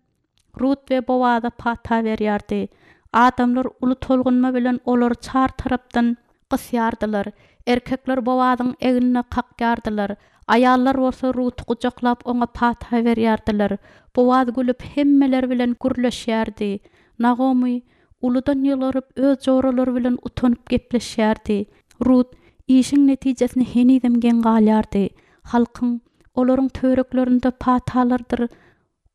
Rut we Bowaza pata berýärdi. Adamlar uly tolgunma bilen olary çar tarapdan gysýardylar. Erkekler Bowazyň egnine kakýardylar. Aýallar bolsa Ruty gujaklap oňa pata berýärdiler. Bowaz gülüp hemmeler bilen gürleşýärdi. Nagomy uludan ýylgyryp öz joralary bilen utanyp gepleşýärdi. Rut işiň netijesine henizem geň galýardy. Halkyň olaryň töwereklerinde patalardyr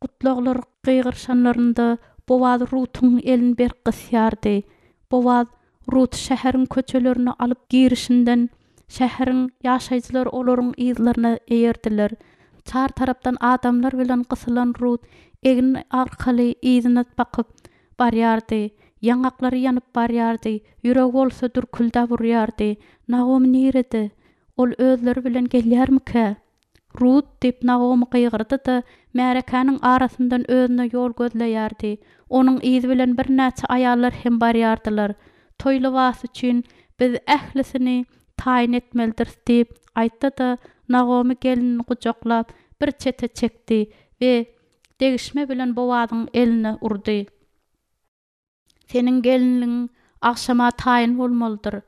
gutlaglar gygyryşanlarynda Bowaz Rutuň elini berk gysýardy. Bowaz Ruty şäheriň köçelerine alyp girişinden, şäheriň ýaşaýjylary olaryň yzlaryna eýerdiler. Çar tarapdan adamlar bilen gysylan Rut egni arkaly yzyna bakyp barýardy. Ýaňaklary ýanyp barýardy, ýüregi bolsa dürküldäp urýardy. Nagomy nirede? Ol özleri bilen gelýärmikä? Rut! diýip, Nagomy gygyrdy-da, märekäniň arasyndan özüne ýol gözleýärdi. Onuň yzy bilen birnäçe aýallar hem barýardylar. Toý lybasy üçin biz ählisini taýyn etmelidiris diýip aýtdy-da, Nagomy gelnini gujaklap, bir çete çekdi we degişme bilen Bowazyň eline urdy. Seniň gelinligiň agşama taýyn bolmalydyr.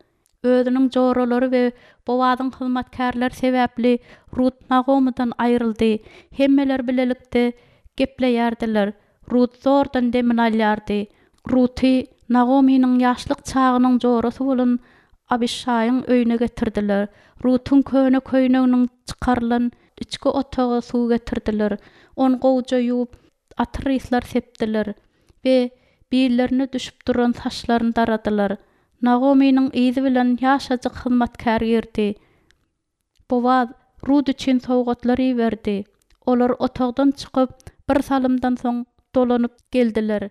Özüniň joralary we Bowazyň hyzmatkärleri sebäpli Rut Nagomydan aýryldy. Hemmeler bilelikde gepleýärdiler. Rut zordan demini alýardy. Ruty Nagomynyň ýaşlyk çagynyň jorasy bolan Abyşaýyň öýüne getirdiler. Rutuň köne köýneginiň çykarylan içki otaga suw getirdiler. Ony gowuja ýuwup, atyr yslar sepdiler we billerine düşüp duran saçlaryny daradylar. Nagomynyň yzy bilen ýaşajyk hyzmatkär girdi. Bowaz Rut üçin sowgatlar iberdi. Olar otagdan çykyp, bir salymdan soň dolanyp geldiler.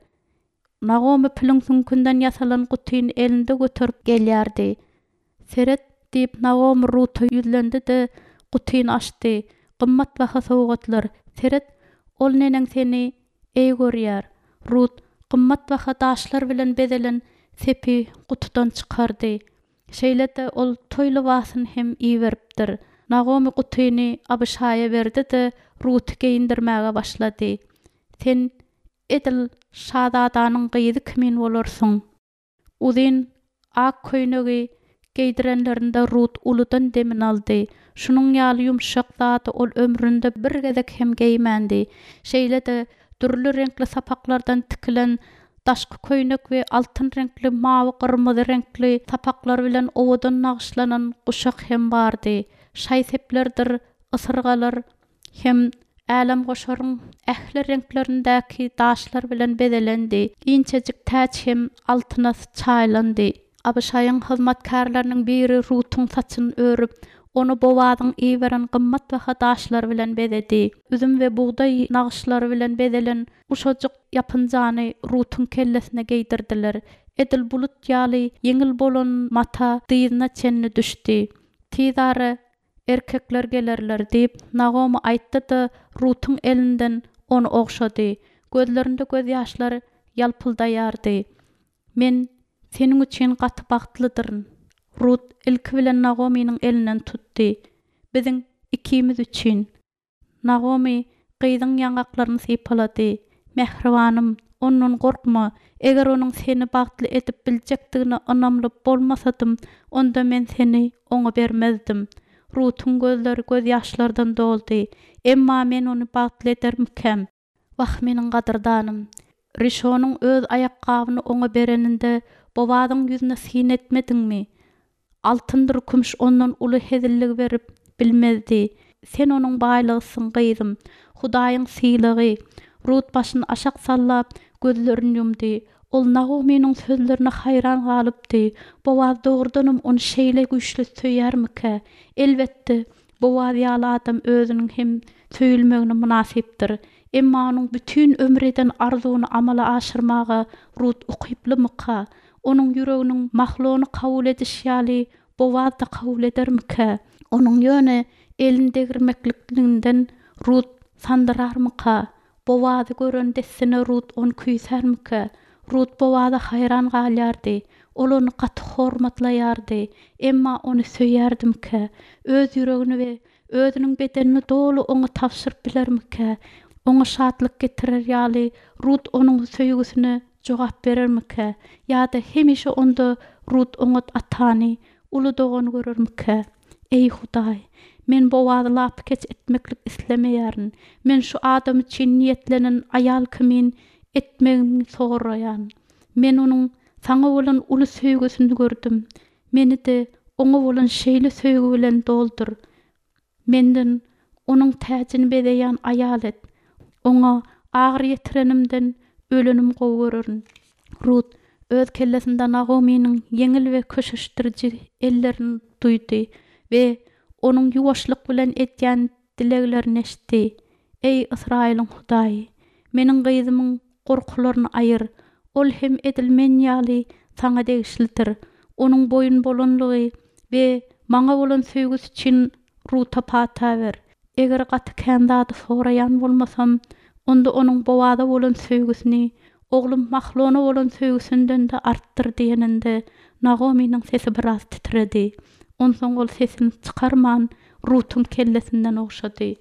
Nagomy piliň süňkünden ýasalan gutyny elinde göterip gelýärdi. Seret, diýip, Nagomy Ruta ýüzlendi-de, gutyny açdy. Gymmatbaha sowgatlar. Seret, ol neneň seni eý görýär. Rut gymmatbaha daşlar bilen bezelen sepi gutudan çykardy. Şeýle-de ol toý lybasyny hem iberipdir. Nagomy gutyny Abyşaýa berdi-de, Ruty geýindirmäge başlady. Sen edil şazadanyň gyzy kimin bolarsyň. Uzyn ak köýnegi geýdirenlerinde Rut uludan demini aldy. Şunuň ýaly ýumşak zady ol ömründe bir gezek hem geýmändi. Şeýle-de, dürli reňkli sapaklardan tikilen daşky köýnek we altyn reňkli, mawy, gyrmyzy reňkli sapaklar bilen owadan nagyşlanan guşak hem bardy. Şaý-seplerdir ysyrgalar hem älemgoşaryň ähli reňklerindäki daşlar bilen bezelendi. Inçejik täç hem altyna çaýylandy. Abyşaýyň hyzmatkärleriniň biri Rutuň saçyny örüp, ony Bowazyň iberen gymmatbaha daşlary bilen bezedi. Üzüm we bugdaý nagyşlary bilen bezelen uşajyk ýapynjany Rutuň kellesine geýdirdiler. Edil bulut ýaly ýeňil bolan mata dyzyna çenli düşdi. Tizara erkekler gelerler, diýip, Nagomy aýtdy-da, Rutuň elinden ony ogşady. Gözlerinde gözýaşlar ýalpyldaýardy. Men seniň üçin gaty bagtlydyryn. Rut ilki bilen Nagomynyň elinden tutdy. Biziň ikimiz üçin. Nagomy gyzyň ýaňaklaryny sypalady. Mähribanym, ondan gorkma. Eger onuň seni bagtly edip biljekdigine ynamly bolmasadym, onda men seni oňa bermezdim. Rutuň gözleri gözýaşlardan doldy. Emma men ony bagtly edermikäm? Wah, meniň gadyrdanym! Rişonyň öz aýakgabyny oňa bereninde Bowazyň ýüzüne syn etmediňmi? Altyndyr kümüş ondan uly hezilligi berip bilmezdi. Sen onuň baýlygysyň, gyzym. Hudaýyň sylagy. Rut başyny aşak sallap, gözlerini ýumdy. Ol Nagomynyň sözlerine haýran galypdy. Bowaz dogrudanam ony şeýle güýçli söýýärmikä? Elbetde, Bowaz ýaly adam özüniň hem söýülmegine mynasypdyr. Emma onuň bütin ömür eden arzuwyny amala aşyrmaga Rut ukyplymyka? Onuň ýüreginiň Mahlony kabul edişi ýaly Bowaz-da kabul edermikä? Onuň ýöne elini degirmekliginden Rut sandyrarmyka? Bowazy gören dessine Rut ony küýsärmikä? Rut Bowaza haýran galýardy. Ol ony gaty hormatlaýardy. Emma ony söýýärdimikä? Öz ýüregini we özüniň bedenini doly oňa tabşyryp bilermikä? Oňa şatlyk getirer ýaly Rut onuň söýgüsine jogap berermikä? Ýa-da hemişe onda Rut oňat atany, uly dogany görermikä? Eý, Hudaý, men Bowazy lapykeç etmeklik islemeýärin. Men şu adam üçin niýetlenen aýal kimin etmegiňi soraýan. Men onuň Saňa bolan uly söýgüsini gördüm. Meni-de oňa bolan şeýle söýgi bilen doldur. Menden onuň täjini bezeýän aýal et. Oňa agyry ýetirenimden ölenimi gowy görerin. Rut Öz kellesinde Nagomynyň ýeňil we köşeşdiriji ellerini duýdy we onuň ýuwaşlyk bilen edýän dileglerini eşitdi. Eý, Ysraýylyň Hudaýy, meniň gyzymyň gorkularyny aýyr. Ol hem edil men ýaly saňa degişlidir. Onuň boýun bolanlygy we maňa bolan söýgüsi üçin Ruta pata ber. Eger gaty kän zady soraýan bolmasam, onda onuň Bowaza bolan söýgüsini oglum Mahlona bolan söýgüsinden-de artdyr diýeninde, Nagomynyň sesi biraz titredi. Onsoň ol sesini çykarman, Rutuň kellesinden ogşady.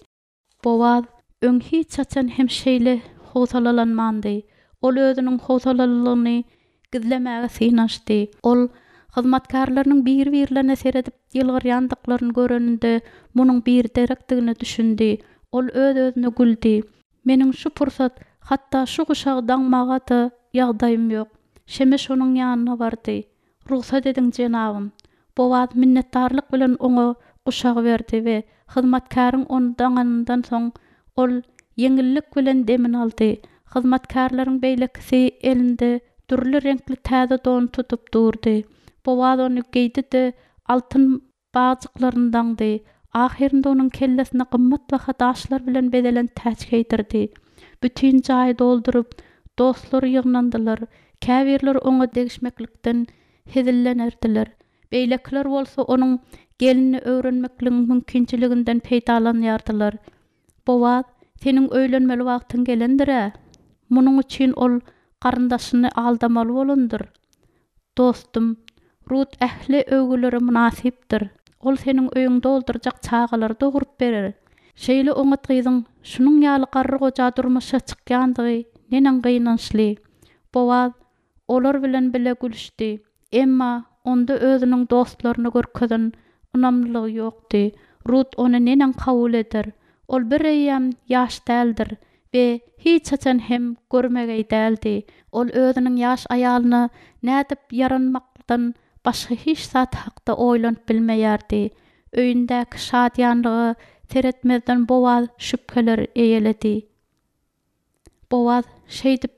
Bowaz öň hiç haçan hem şeýle howsalalanmandy. Ol özüniň howsalalylygyny gizlemäge synanyşdy. Ol hyzmatkärleriniň biri-birlerine seredip ýylgyrýandyklaryny göreninde, munuň biderekdigine düşündi. Ol öz-özüne güldi. Meniň şu pursat hatda şu guşagy daňmaga-da ýagdaýym ýok. Şemeş onuň ýanyna bardy. Rugsat ediň, jenabym. Bowaz minnetdarlyk bilen oňa guşagy berdi we hyzmatkäriň ony daňanyndan soň, ol ýeňillik bilen demini aldy. Hyzmatkärleriň beýlekisi elinde dürli reňkli täze don tutup durdy. Bowaz ony geýdi-de, altyn bagjyklaryny daňdy. Ahyrynda onuň kellesine gymmatbaha daşlar bilen bezelen täç geýdirdi. Bütin jaýy dolduryp, dostlary ýygnandylar. Käbirleri oňa degişmeklikden hezillenerdiler. Beýlekiler bolsa onuň gelinini öwrenmekligiň mümkinçiliginden peýdalanýardylar. Bowaz, seniň öýlenmeli wagtyň gelendir-ä? Munuň üçin ol garyndaşyny aldamaly bolandyr. Dostum, Rut ähli öwgülere mynasypdyr. Ol seniň öýüňi doldurjak çagalary dogrup berer. Şeýle oňat gyzyň şunuň ýaly garry goja durmuşa çykýandygy neneň gynançly. Bowaz olar bilen bile gülüşdi. Emma onda özüniň dostlaryna görkezen ynamlylygy ýokdy. Rut ony neneň kabul eder? Ol bireýýäm ýaş däldir we hiç haçan hem görmegeý däldi. Ol özüniň ýaş aýalyna nädip ýaranmakdan başga hiç zat hakda oýlanyp bilmeýärdi. Öýündäki şadyýanlyga seretmezden Bowaz şübheler eýeledi. Bowaz, şeýdip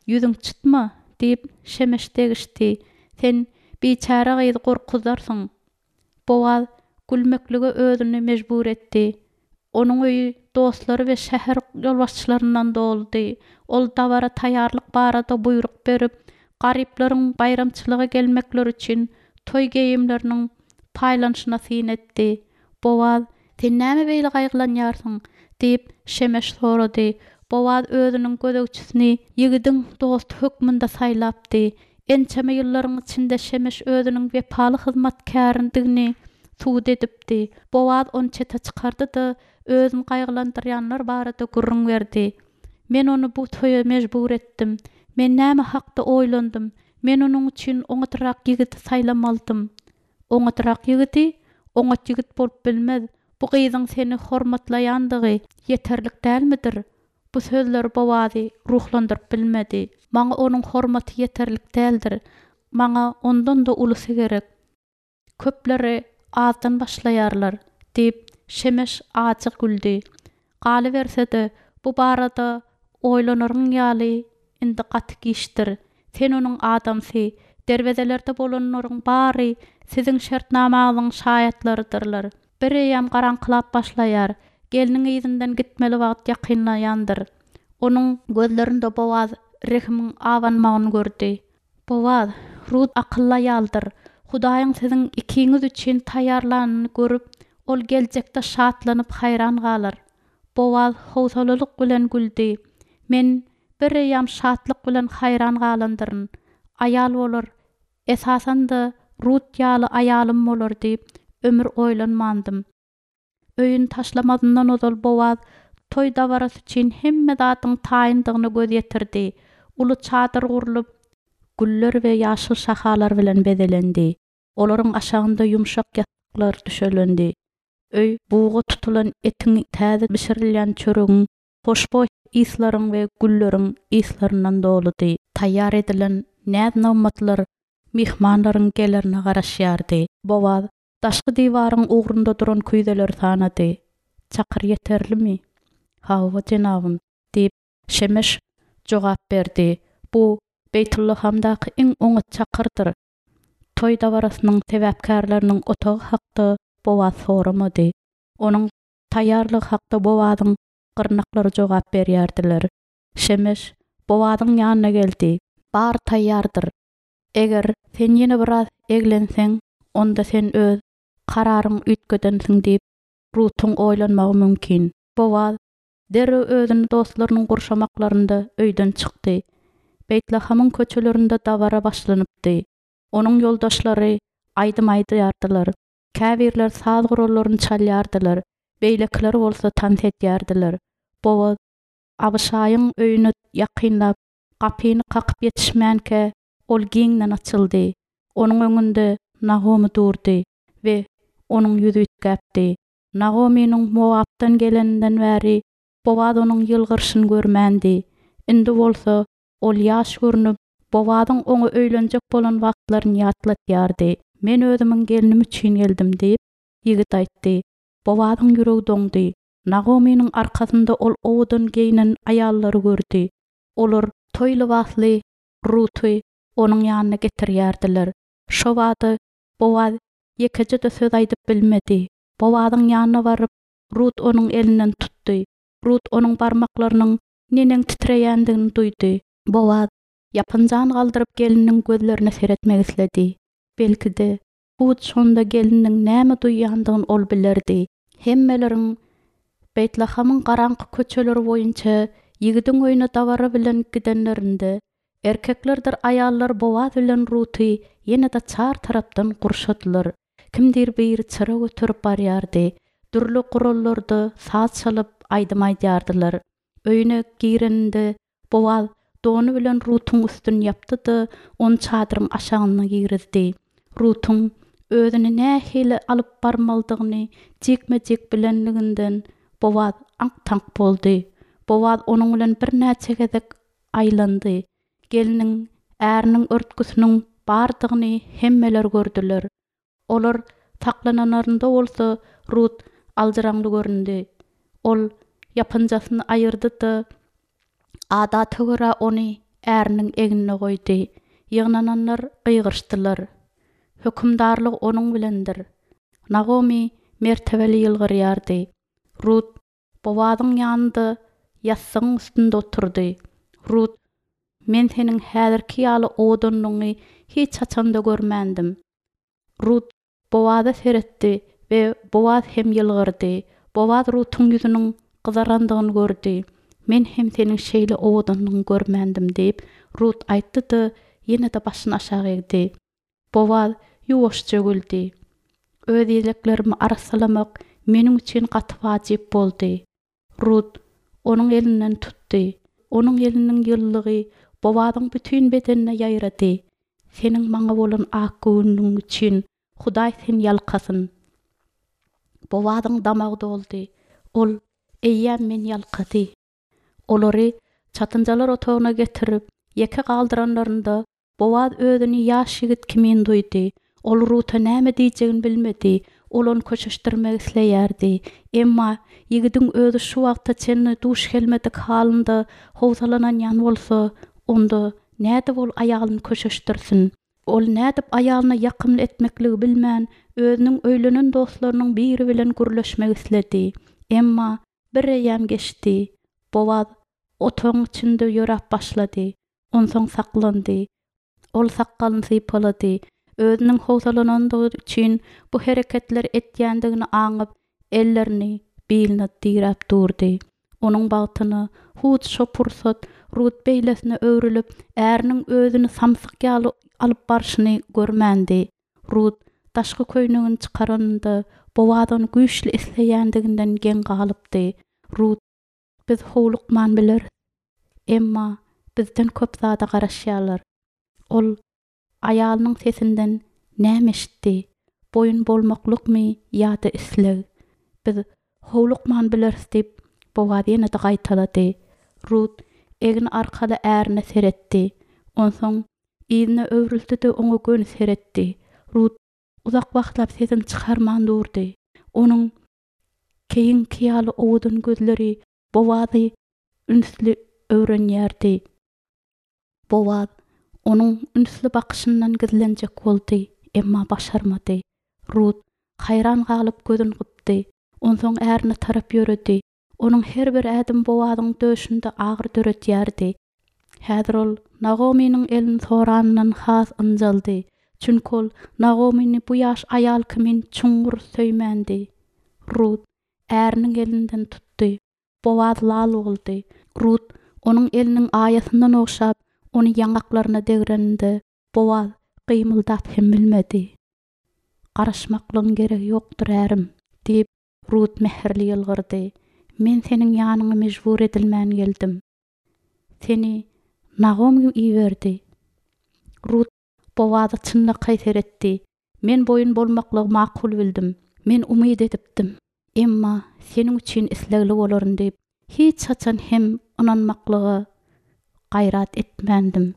ýüzüň çytma, diýip, Şemeş degişdi. Sen biçäre gyzy gorkuzarsyň. Bowaz gülmeklige özüni mejbur etdi. Onuň öýi dostlary we şäher ýolbaşçylaryndan doludy. Ol dabara taýýarlyk barada buýruk berip, garyplaryň baýramçylyga gelmekleri üçin toý geýimleriniň paýlanyşyna syn etdi. Bowaz, Sen näme beýle gaýgylanýarsyň? diýip, Şemeş sorady. Bowaz özüniň gözegçisini ýigidiň dosty hökmünde saýlapdy. Ençeme ýyllaryň içinde Şemeş özüniň wepaly hyzmatkäridigini subut edipdi. Bowaz ony çete çykardy-da, özüni gaýgylandyrýanlar barada gürrüň berdi. Men ony bu toýa mejbur etdim. Men näme hakda oýlandym? Men onuň üçin oňatrak ýigidi saýlamalydym. Oňatrak ýigidi? Oňat ýigit bolup bilmez. Bu gyzyň seni hormatlaýandygy ýeterlik dälmidir? Bu sözler Bowazy ruhlandyryp bilmedi. Maňa onuň hormaty ýeterlik däldir. Maňa ondan-da ulusy gerek. Köpleri azdan başlaýarlar, diýip, Şemeş ajy güldi. Galyberse-de, bu barada oýlanaryň ýaly indi gaty giçdir. Sen onuň adamsy, derwezelerde bolanlaryň bary siziň şertnamaňyzyň şaýatlarydyrlar. Bireýýäm garaňkylap başlaýar. Gelniň yzyndan gitmeli wagt ýakynlaýandyr. Onuň gözlerinde Bowaz rehimiň abanmagyny gördi. Bowaz, Rut akylly aýaldyr. Hudaýyň siziň ikiňiz üçin taýýarlanyny görüp, ol geljekde şatlanyp haýran galar. Bowaz howsalalyk bilen güldi. Men bireýýäm şatlyk bilen haýran galandyryn. Aýal bolar, esasan-da Rut ýaly aýalym bolar diýip, ömür oýlanmandym. Öýüni taşlamazyndan ozal Bowaz toý dabarasy üçin hemme zadyň taýyndygyna göz ýetirdi. Uly çadyr gurlup, güller we ýaşyl şahalar bilen bezelendi. Olaryň aşagynda ýumşak ýassyklar düşelendi. Öý buga tutulan etiň, täze bişirilýän çöregiň, hoşboý yslaryň we gülleriň yslaryndan doludy. Taýýar edilen näz-nygmatlar myhmanlaryň gelerine garaşýardy. Bowaz daşky diwaryň ugrunda duran küýzeleri sanady. Çakyr ýeterlimi? Hawa, jenabym, diýip, Şemeş jogap berdi. Bu Beýtullahamdaky iň oňat çakyrdyr. Toý dabarasynyň sebäpkärleriniň otagy hakda Bowaz soramady. Onuň taýýarlygy hakda Bowazyň gyrnaklary jogap berýärdiler. Şemeş Bowazyň ýanyna geldi. Bary taýýardyr. Eger sen ýene biraz eglenseň, onda sen öz kararyňy üýtgedensiň diýip, Rutuň oýlanmagy mümkin. Bowaz derrew özüni dostlarynyň gurşamaklarynda öýden çykdy. Beýtlahamyň köçelerinde dabara başlanypdy. Onuň ýoldaşlary aýdym aýdýardylar. Käbirleri saz gurallaryny çalýardylar, beýlekiler bolsa tans edýärdiler. Bowaz Abyşaýyň öýüne ýakynlap, gapyny kakyp ýetişmänkä, ol giňden açyldy. Onuň öňünde Nagomy durdy we onuň ýüzi üýtgäpdi. Nagomynyň Mowapdan geleninden bäri Bowaz onuň ýylgyryşyny görmändi. Indi bolsa ol ýaş görnüp, Bowazyň oňa öýlenjek bolan wagtlaryny ýatlatýardy. Men özümiň gelnim üçin geldim diýip, ýigit aýtdy. Bowazyň ýüregi doňdy. Nagomynyň arkasynda ol owadan geýnen aýallary gördi. Olar toý lybasly Ruty onuň ýanyna getirýärdiler. Şobada Bowaz ýekeje-de söz aýdyp bilmedi. Bowazyň ýanyna baryp, Rut onuň elinden tutdy. Rut onuň barmaklarynyň neneň titreýändigini duýdy. Bowaz ýapynjany galdyryp gelniniň gözlerine seretmek isledi. Belki-de, hut şonda gelniniň näme duýýandygyny ol bilerdi. Hemmeleriň Beýtlahamyň garaňky köçeleri boýunça ýigidiň öýüne dabara bilen gidenlerinde, erkeklerdir aýallar Bowaz bilen Ruty ýene-de çar tarapdan gurşadylar. Kimdir biri çyra göterip barýardy. Dürli gurallarda saz çalyp, aýdym aýdýardylar. Öýüne gireninde Bowaz dony bilen Rutuň üstüni ýapdy-da, ony çadyryň aşagyna girizdi. Rutuň özüni nähili alyp barmalydygyny jikme-jik bilenliginden Bowaz aňk-taňk boldy. Bowaz onuň bilen birnäçe gezek aýlandy. Gelniň äriniň örtgüsiniň bardygyny hemmeler gördüler. Olar saklananlarynda bolsa Rut aljyraňly göründi. Ol ýapynjasyny aýyrdy-da, adata görä ony äriniň egnine goýdy. Ýygnananlar gygyryşdylar. Hökümdarlyk onuň bilendir. Nagomy mertebeli ýylgyrýardy. Rut Bowazyň ýanynda ýassygyň üstünde oturdy. Rut, Men seniň häzirki ýaly owadanlygyňy hiç haçan-da görmändim. Rut Bowaza seretdi we Bowaz hem ýylgyrdy. Bowaz Rutuň ýüzüniň gyzarandygyny gördi. Men hem seniň şeýle owadanlygyňy görmändim diýip, Rut aýtdy-da, ýene-de başyny aşak egdi. Bowaz ýuwaşja güldi. Öz ýeleklerimi arassalamak meniň üçin gaty wajyp boldy. Rut onuň elinden tutdy. Onuň eliniň ýylylygy Bowazyň bütin bedenine ýaýrady. Seniň maňa bolan akgöwünligiň üçin Hudaý seni ýalkasyn. Bowazyň damagy doldy. Ol, Eýýäm meni ýalkady. Olary çatynjalar otagyna getirip, ýeke galdyranlarynda, Bowaz özüni ýaş ýigit kimin duýdy. Ol Ruta näme diýjegini bilmedi. Ol ony köşeşdirmek isleýärdi. Emma ýigidiň özi şu wagta çenli duş gelmedik halynda howsalananýan bolsa, onda nädip ol aýalyny köşeşdirsin? Ol nädip aýalyna ýakymly etmekligi bilmän, özüniň öýlenen dostlarynyň biri bilen gürleşmek isledi. Emma bir eýýäm geçdi. Bowaz otagyň içinde ýöräp başlady. Onsoň saklandy. Ol sakgalyny sypalady. Özüniň howsalanandygy üçin bu hereketleri etýändigini aňyp, ellerini biline diräp durdy. Onuň bagtyna, hut şo pursat Rut beýlesine öwrülip, äriniň özüni samsyk ýaly alyp barşyny görmändi. Rut daşky köýnegini çykaranynda, Bowaz ony güýçli isleýändiginden geň galypdy. Rut, Biz howlukman bileris. Emma bizden köp zada garaşýarlar. Ol aýalynyň sesinden näme eşitdi? Boýun bolmaklykmy ýa-da isleg? Biz howlukman bileris diýip, Bowaz ýene-de gaýtalady. Rut egni arkaly ärine seretdi. Onsoň yzyna öwrüldi-de oňa göni seretdi. Rut uzak wagtlap sesini çykarman durdy. Onuň keýiňki ýaly owadan gözleri Bowazy ünsli öwrenýärdi. Bowaz Onuň ünsli bakyşyndan gizlenjek boldy, emma başarmady. Rut haýran galyp gözüni gypdy. Onsoň ärine tarap ýöredi. Onuň her bir ädimi Bowazyň döşünde agyry döredýärdi. Häzir ol Nagomynyň elini soranyndan has ynjaldy. Çünki ol Nagomyny bu ýaş aýal kimin çuňňur söýmändi. Rut äriniň elinden tutdy. Bowaz lal boldy. Rut onuň eliniň aýasyndan ogşap, ony ýaňaklaryna degreninde, Bowaz gymyldap hem bilmedi. Garaşmaklygyň geregi ýokdur, ärim, diýip, Rut mähirli ýylgyrdy. Men seniň ýanyňa mejbur edilmän geldim. Seni Nagomy iberdi. Rut Bowaza çynlakaý seretdi. Men boýun bolmaklygy makul bildim. Men umyt edipdim. Emma seniň üçin islegli bolaryn diýip, hiç haçan hem ynanmaklyga gaýrat etmändim.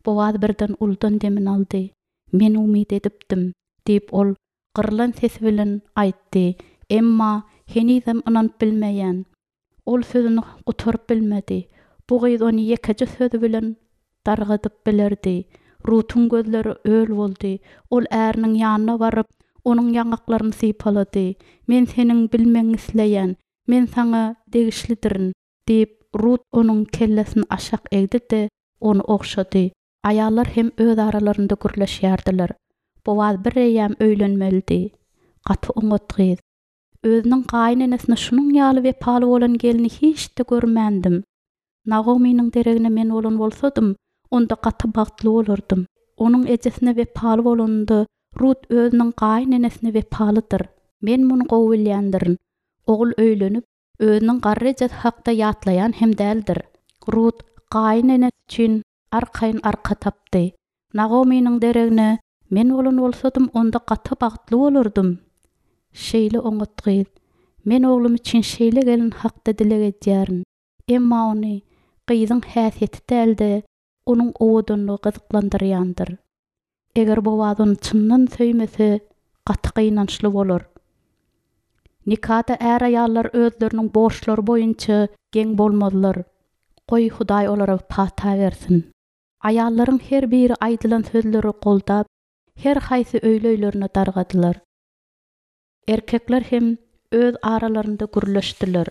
Bowaz birden uludan demini aldy. Men umyt edipdim, diýip, ol gyrylan sesi bilen aýtdy. Emma henizem ynanyp bilmeýän. Ol sözüni gutaryp bilmedi. Bu gyz ony ýekeje sözi bilen dargadyp bilerdi. Rutuň gözleri öl boldy. Ol äriniň ýanyna baryp, onuň ýaňaklaryny sypalady. Men seniň bilmegiňi isleýän. Men saňa degişlidirin, diýip, Rut onuň kellesini aşak egdi-de, ony ogşady. Aýallar hem öz aralarynda gürleşýärdiler. Bowaz bireýýäm öýlenmelidi. Gaty oňat gyz. Özüniň gaýynenesine şunuň ýaly wepaly bolan gelni hiç-de görmändim. Nagomynyň deregine men bolan bolsadym, onda gaty bagtly bolardym. Onuň ejesine wepaly bolanynda, Rut özüniň gaýynenesine wepalydyr. Men muny gowy bilýändirin. Ogul öýlenip, özüniň garry ejesi hakda ýatlaýan hem däldir. Rut gaýynenesi üçin arkaýyn arka tapdy. Nagomynyň deregine men bolan bolsadym, onda gaty bagtly bolardym. Şeýle oňat gyz. Men oglum üçin şeýle gelin hakda dileg edýärin. Emma ony gyzyň häsiýeti däl-de, onuň owadanlygy gyzyklandyrýandyr. Eger Bowaz ony çyndan söýmese, gaty gynançly bolar. Nikada är-aýallar özleriniň borçlary boýunça geň bolmazlar. Goý, Hudaý olara pata bersin. Aýallaryň her biri aýdylan sözleri goldap, her haýsy öýli-öýlerine dargadylar. Erkekler hem öz aralarynda gürleşdiler.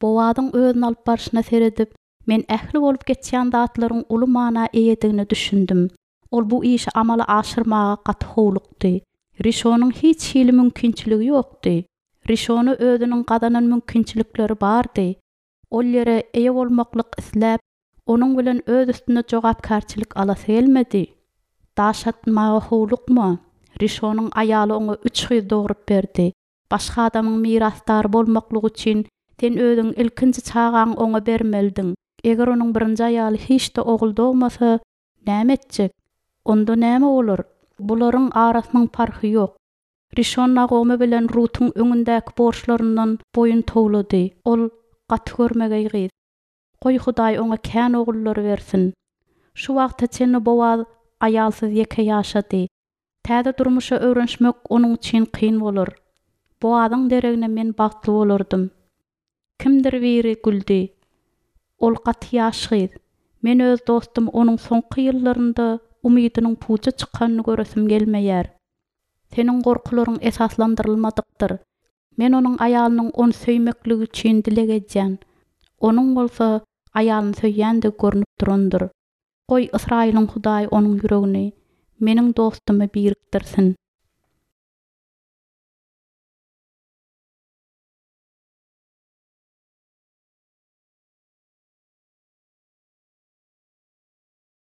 Bowazyň özüni alyp barşyna seredip, men ähli bolup geçýän zatlaryň uly mana eýedigine düşündim. Ol bu işi amala aşyrmaga gaty howlukdy. Rişonyň hiç hili mümkinçiligi ýokdy. Rişona özüniň gazanan mümkinçilikleri bardy. Ol ýere eýe bolmaklyk isläp, onuň bilen öz üstüne jogapkärçilik alasy gelmedi. Daş atmaga howlukma. Rişonyň aýaly oňa üç gyz dogrup berdi. Başga adamyň mirasdary bolmaklygy üçin sen özüň ilkinji çagaňy oňa bermelidiň. Eger onuň birinji aýaly hiç-de ogul dogmasa, näme etjek? Onda näme bolar? Bularyň arasynyň parhy ýok. Rişon Nagomy bilen Rutuň öňündäki borçlaryndan boýun towlady. Ol gaty görmegeý gyz. Goý Hudaý oňa kän ogullary bersin. Şu wagta çenli Bowaz aýalsyz ýeke ýaşady. Täze durmuşa öwrenişmek onuň üçin kyn bolar. Bowazyň deregine men bagtly bolardym. Kimdir biri güldi. Ol gaty ýaş gyz. Men öz dostum onuň soňky ýyllarynda umydynyň puja çykanyny göresim gelmeýär. Seniň gorkularyň esaslandyrylmadykdyr. Men onuň aýalynyň ony söýmekligi üçin dileg edýän. Onuň bolsa aýalyny söýýändigi görnüp durandyr. Goý, Ysraýylyň Hudaýy onuň ýüregini meniň dostumy birikdirsin.